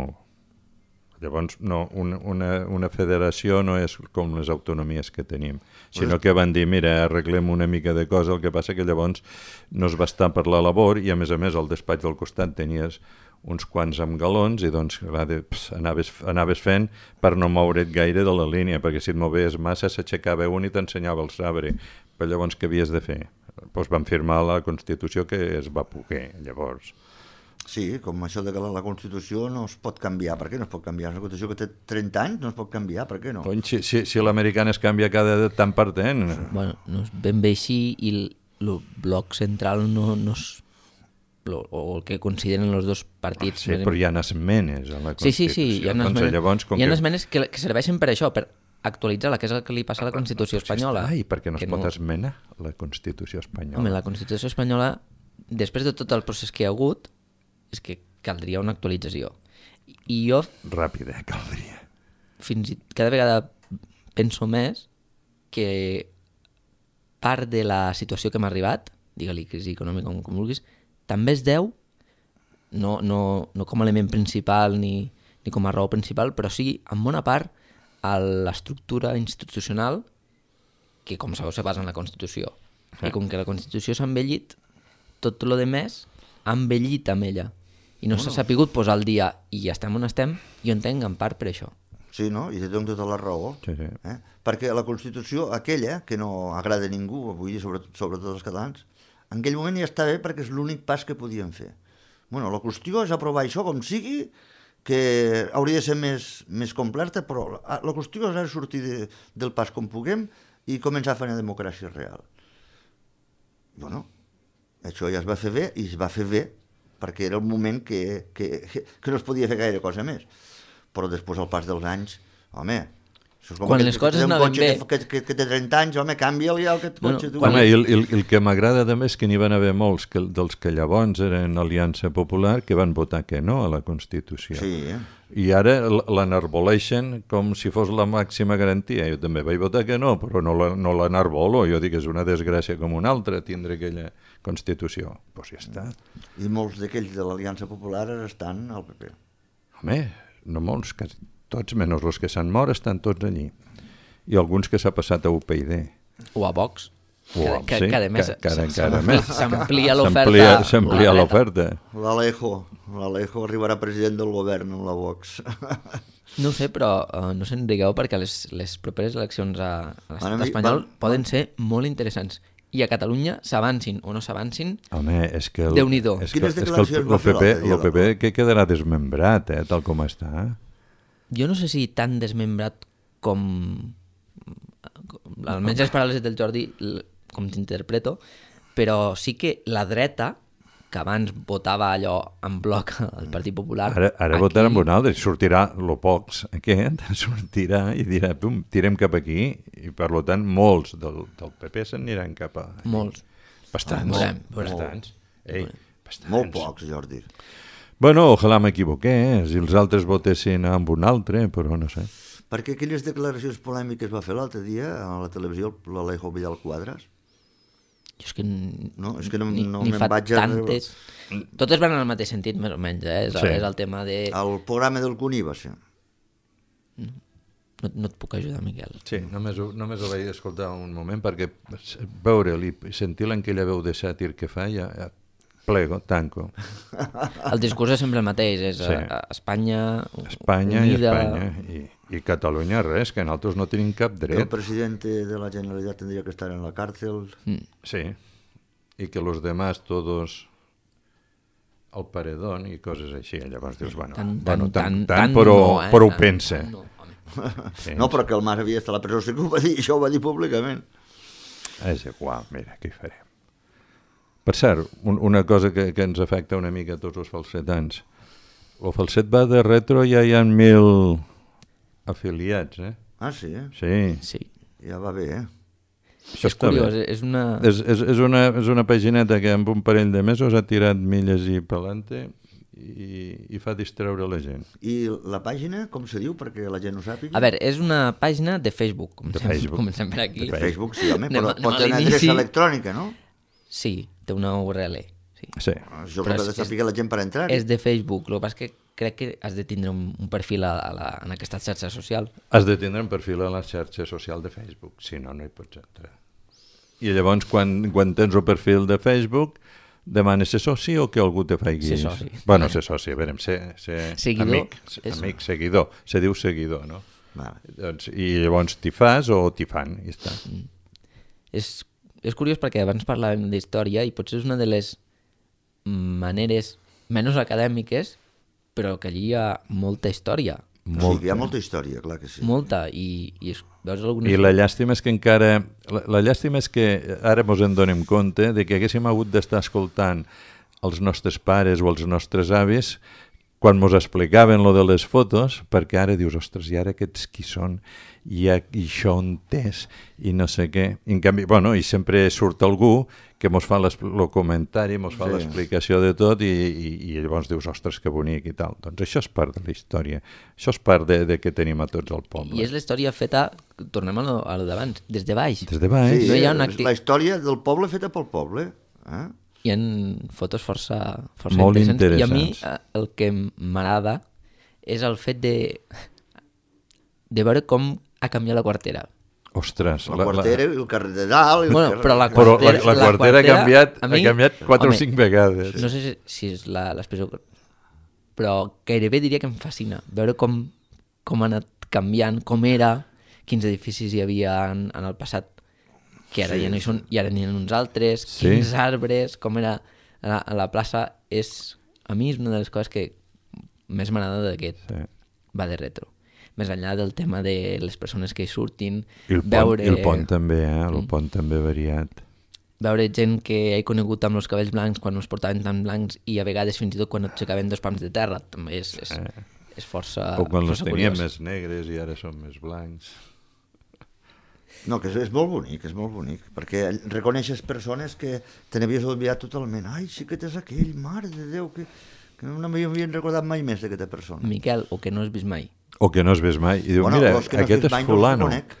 Llavors, no, una, una, una federació no és com les autonomies que tenim, sinó que van dir, mira, arreglem una mica de cosa, el que passa que llavors no es va estar per la labor i, a més a més, al despatx del costat tenies uns quants amb galons i doncs va de, pss, anaves, anaves fent per no moure't gaire de la línia, perquè si et movies massa s'aixecava un i t'ensenyava el sabre. Però llavors què havies de fer? Doncs van firmar la Constitució que es va poder, llavors. Sí, com això de que la, la Constitució no es pot canviar. Per què no es pot canviar? Una Constitució que té trenta anys no es pot canviar, per què no? Cony, si si, si l'americana es canvia cada tant per tant. Bueno, no és ben bé així i el, el bloc central no, no és... Lo, o el que consideren els dos partits. Ah, sí, però hi ha esmenes a la Constitució. Sí, sí, sí, hi ha esmenes, doncs, llavors, hi ha que... esmenes que, que serveixen per això, per actualitzar-la, que és el que li passa a la Constitució espanyola. Ai, per què no es pot no... esmenar la Constitució espanyola? Home, la Constitució espanyola, després de tot el procés que hi ha hagut, és que caldria una actualització. I jo... Ràpida, caldria. Fins i cada vegada penso més que part de la situació que m'ha arribat, digue-li crisi econòmica com, com vulguis, també es deu, no, no, no com a element principal ni, ni com a raó principal, però sí, en bona part, a l'estructura institucional que, com sabeu, se basa en la Constitució. Sí. I com que la Constitució s'ha envellit, tot el que més ha envellit amb ella. I no bueno. s'ha sapigut posar al dia i ja estem on estem, jo entenc en part per això. Sí, no? I te dono tota la raó. Sí, sí. Eh? Perquè la Constitució, aquella, que no agrada a ningú, vull dir, sobretot, sobretot els catalans, en aquell moment ja està bé perquè és l'únic pas que podien fer. Bueno, la qüestió és aprovar això com sigui, que hauria de ser més, més completa, però la, la qüestió és ara sortir de, del pas com puguem i començar a fer una democràcia real. Bueno, això ja es va fer bé i es va fer bé perquè era el moment que, que, que no es podia fer gaire cosa més. Però després, al pas dels anys, home... Quan les coses anaven bé... Que, que, que té trenta anys, home, canvia-li el que et cotxe. Bueno, home, el, el, el que m'agrada també és que n'hi van haver molts que, dels que llavors eren Aliança Popular que van votar que no a la Constitució. Sí, eh? I ara l'enarboleixen com si fos la màxima garantia. Jo també vaig votar que no, però no l'enarbolo. Jo dic que és una desgràcia com una altra tindre aquella Constitució. Doncs pues ja està. I molts d'aquells de l'Aliança Popular estan al P P. Home, no molts, quasi tots, menys els que s'han mort, estan tots allí. I alguns que s'ha passat a U P y D. O a Vox. O a, que, sí, que, que, a més que, que, que, més. S'amplia l'oferta. S'amplia l'oferta. L'Alejo. l'Alejo arribarà president del govern amb la Vox. No ho sé, però uh, no se'n digueu perquè les, les properes eleccions a, a l'estat Bueno, espanyol va- poden ser molt interessants. I a Catalunya s'avancin o no s'avancin, Home, és que... El, Déu-n'hi-do. És que, Quines és que el, declaracions va el fer P P, l'altre dia, el P P la- que quedarà desmembrat, eh, tal com està. jo no sé si tan desmembrat com... almenys les paraules del Jordi, l- com t'interpreto, però sí que la dreta, que abans votava allò en bloc al Partit Popular... Ara, ara aquí- votarà amb un altre, sortirà lo pocs aquest, sortirà i dirà, pum, tirem cap aquí, i per lo tant molts del, del P P se'n aniran cap a... Molts. Bastants, Veurem, veurem. bastants. Ei, bastants. Molt pocs, Jordi. Bueno, ojalà m'equivoqué, eh? Si els altres votessin amb un altre, però no sé. Perquè aquelles declaracions polèmiques va fer l'altre dia a la televisió l'Alejo Vidal Quadras? Jo és que, n- No, és que no- ni, no ni me'n fa vaig a tantes... Totes van en el mateix sentit, més o menys, eh? És, Sí. és el tema de... El programa del Cuní va ser. No, no et puc ajudar, Miquel. Sí, només ho, només ho vaig escoltar un moment perquè veure'l i sentir-la en aquella veu de sàtir que fa, ja, ja plego, tanco. El discurs és sempre el mateix, és Sí. sí. Espanya, Espanya unida... i Espanya. I, I Catalunya res, que nosaltres no tenim cap El dret. president de la Generalitat tindria que estar en la càrcel. Mm. Sí, i que los demás todos al paredón i coses així. Llavors dius, bueno, Tan, bueno, tan, tant, tan, tant, tan però, no, eh? però ho Tan- pensa. tan no, home. Sí. No, però que el Mas havia d'estar a la presó, sí que ho va dir, això ho va dir públicament. És igual, mira, què hi farem. Per cert, un, una cosa que, que ens afecta una mica a tots els falsetans. El falset va de retro, ja hi ha mil afiliats, eh? Ah, sí, eh? Sí. Sí. Ja va bé, eh? Això És està curiós, bé. és una... És, és, és, una, és una pagineta que amb un parell de mesos ha tirat milles i pelante i, i fa distreure la gent. I la pàgina, com se diu, perquè la gent ho sàpiga? A veure, és una pàgina de Facebook. Comencem, De Facebook. Comencem per aquí. De Facebook, sí, home, Anem però a- anem pot a tenir l'inici. adreça electrònica, no? Sí, té una U R L. Sí. Sí. Això Però que ha és- de saber la gent per entrar. És de Facebook, el que passa és que crec que has de tindre un, un perfil a, a la, en aquesta xarxa social. Has de tindre un perfil a la xarxa social de Facebook, si no, no hi pots entrar. I llavors, quan, quan tens el perfil de Facebook, demanes ser soci o que algú te faci... Ser soci. Bueno, ser soci, a veure, ser, ser Seguidor, amic, és- amic, seguidor. Se diu seguidor, no? Vale. Doncs, I llavors t'hi fas o t'hi fan, i està. És, és curiós perquè abans parlàvem d'història i potser és una de les maneres menys acadèmiques, però que allí hi ha molta història. Sí, que hi ha molta història, clar que sí. Molta. I, i es, veus algunes... I la llàstima és que encara... La, la llàstima és que ara mos en donem compte de que haguéssim hagut d'estar escoltant els nostres pares o els nostres avis quan mos explicaven lo de les fotos, perquè ara dius, ostres, i ara aquests qui són? I, a, i això on és? I no sé què. I en canvi, bueno, i sempre surt algú que mos fa el comentari, mos fa Sí. l'explicació de tot i, i, i llavors dius, ostres, que bonic i tal. Doncs això és part de la història. Això és part de, de que tenim a tots al poble. I és la història feta, tornem a lo, a lo d'abans, des de baix. Des de baix. Sí, No hi ha una és acti- la història del poble feta pel poble. Eh? Hi ha fotos força, força Molt interessants. I a mi interessants. eh, el que m'agrada és el fet de, de veure com ha canviat la quartera. Ostres, La quartera i el carrer de dalt... I el Bueno, carrer- però la Però la, quartera, la quartera ha canviat, a mi- ha canviat quatre home, o cinc vegades. No sé si, si és la- l'expressió, però gairebé diria que em fascina veure com, com ha anat canviant, com era, quins edificis hi havia en, en el passat, que ara Sí, ja no hi són, i ara n'hi ha uns altres, Sí. quins arbres, com era a la, a la plaça, és, a mi és una de les coses que més m'agrada d'aquest Sí. va de retro. Més enllà del tema de les persones que hi surtin, I el, pont, veure... I el pont també, eh? El Mm. pont també variat. veure gent que he conegut amb els cabells blancs quan no els portaven tan blancs i a vegades fins i tot quan et aixecaven dos pams de terra també és, és, Eh. és força, O quan els força teníem curiós. més negres i ara són més blancs. No, que és, és molt bonic, és molt bonic, perquè reconeixes persones que te n'havies oblidat totalment. Ai, sí que t'és aquell, mare de Déu, que, que no m'havien recordat mai més d'aquesta persona. Miquel, o que no has vist mai. O que no has vist mai. I diu, Bueno, mira, els que no has aquest vist és mai no els fulano. conec.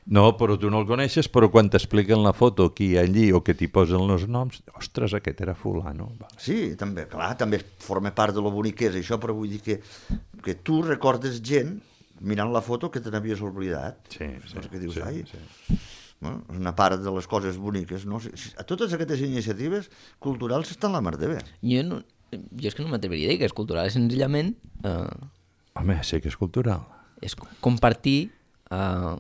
No, però tu no el coneixes, però quan t'expliquen la foto qui hi ha allí o que t'hi posen els noms, ostres, aquest era fulano. Vale. Sí, també, clar, també forma part de lo bonic que és això, però vull dir que, que tu recordes gent mirant la foto que te n'havies oblidat. Sí, sí, Saps què dius? sí, Ai, sí. bueno, és una part de les coses boniques. No? Si- si- A totes aquestes iniciatives culturals estan la mar de bé. Jo no, jo és que no m'atreviria a dir que és cultural, és senzillament... Eh, Home, sí que és cultural. És compartir eh,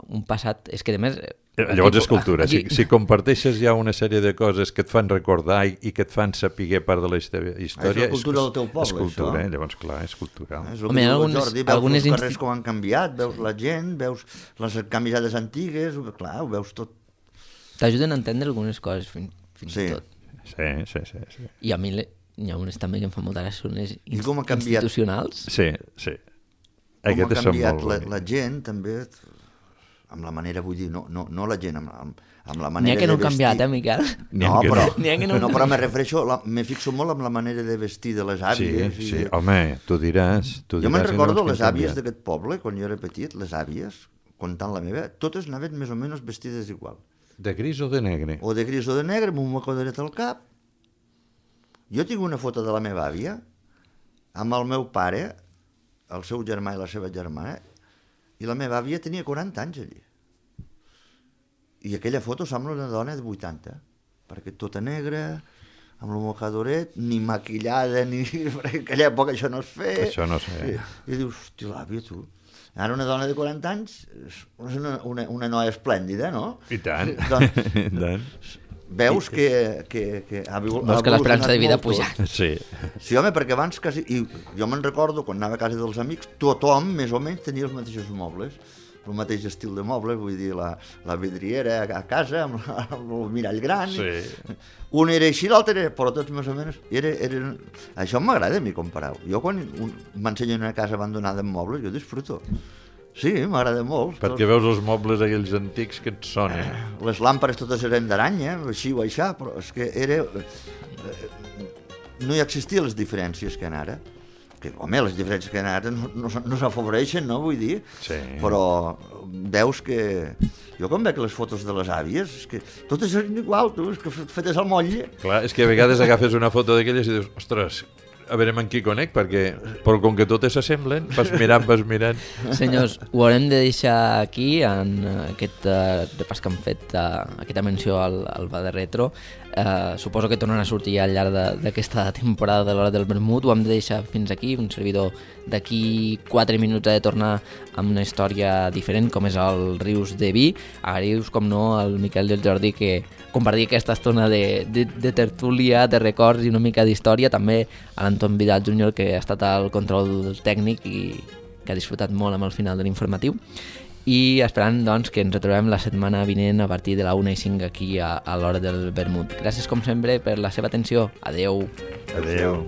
un passat... És que, a més... Eh, llavors és cultura. Aquí... Si, si comparteixes ja una sèrie de coses que et fan recordar i, i que et fan saber part de la història... És la cultura del teu poble, és cultura, això. Eh? Llavors, clar, és cultural. És el Home, que diu algunes, Jordi, veus algunes els carrers insti... com han canviat, veus la gent, veus les camisades antigues, clar, ho veus tot. T'ajuden a entendre algunes coses, fins, fins sí. i tot. Sí, sí, sí, sí. I a mi n'hi ha unes també que em fan molta gràcia, unes I com ha canviat... institucionals. Sí, sí. Com Aquestes ha canviat la, la gent, també, amb la manera, vull dir, no, no, no la gent, amb, amb, amb la manera N'hi ha que no han canviat, eh, Miquel? No, però, no. no, però me refereixo, la, me fixo molt amb la manera de vestir de les àvies. Sí, sí, i... home, tu diràs... Tu jo diràs me'n recordo no les àvies d'aquest poble, quan jo era petit, les àvies, comptant la meva, totes anaven més o menys vestides igual. De gris o de negre? O de gris o de negre, amb un mocodaret al cap. Jo tinc una foto de la meva àvia, amb el meu pare, el seu germà i la seva germana, i la meva àvia tenia quaranta anys allí. I aquella foto sembla una dona de vuitanta, perquè tota negra, amb el mocadoret, ni maquillada, ni... perquè en aquella època això no es feia. Això no es feia. I, i dius, hosti, l'àvia, tu... Ara una dona de quaranta anys és una, una, una noia esplèndida, no? I tant. Doncs, I tant. Veus que, que, que ha evolucionat molt. Veus que l'esperança de vida ha pujat. Sí. Sí, home, perquè abans quasi... I jo me'n recordo, quan anava a casa dels amics, tothom, més o menys, tenia els mateixos mobles, el mateix estil de mobles, vull dir, la, la vidriera a casa, amb, la, amb el mirall gran. Sí. Un era així, l'altre era, però tots més o menys... Era, era... Això m'agrada a mi comparar-ho. Jo quan m'ensenyen una casa abandonada amb mobles, jo disfruto. Sí, m'agrada molt. Perquè veus els mobles aquells antics que et sonen. Les làmpades totes eren d'aranya, així o aixà, però és que era... No hi existien les diferències que en ara. Que, home, les diferències que en ara no, no, no s'afavoreixen, no? Vull dir. Sí. Però veus que... Jo quan veig les fotos de les àvies, és que totes eren igual, tu, és que fetes al motlle. Clar, és que a vegades agafes una foto d'aquelles i dius, ostres, a veure amb qui conec, perquè però com que totes s'assemblen, vas mirant, vas mirant. Senyors, ho haurem de deixar aquí en aquest uh, repàs que hem fet, uh, aquesta menció al, al Bar de Retro. Uh, suposo que tornen a sortir al llarg d'aquesta temporada de l'Hora del Vermut. Ho hem de deixar fins aquí. Un servidor d'aquí quatre minuts ha de tornar amb una història diferent, com és el Rius de Vi. Agraïu-vos, com no, al Miquel i al Jordi que compartir aquesta estona de, de, de tertúlia, de records i una mica d'història. També a l'Anton Vidal júnior, que ha estat al control tècnic i que ha disfrutat molt amb el final de l'informatiu. I esperant, doncs, que ens retrobem la setmana vinent a partir de la una i cinc aquí a, a l'Hora del Vermut. Gràcies, com sempre, per la seva atenció. Adeu. Adeu.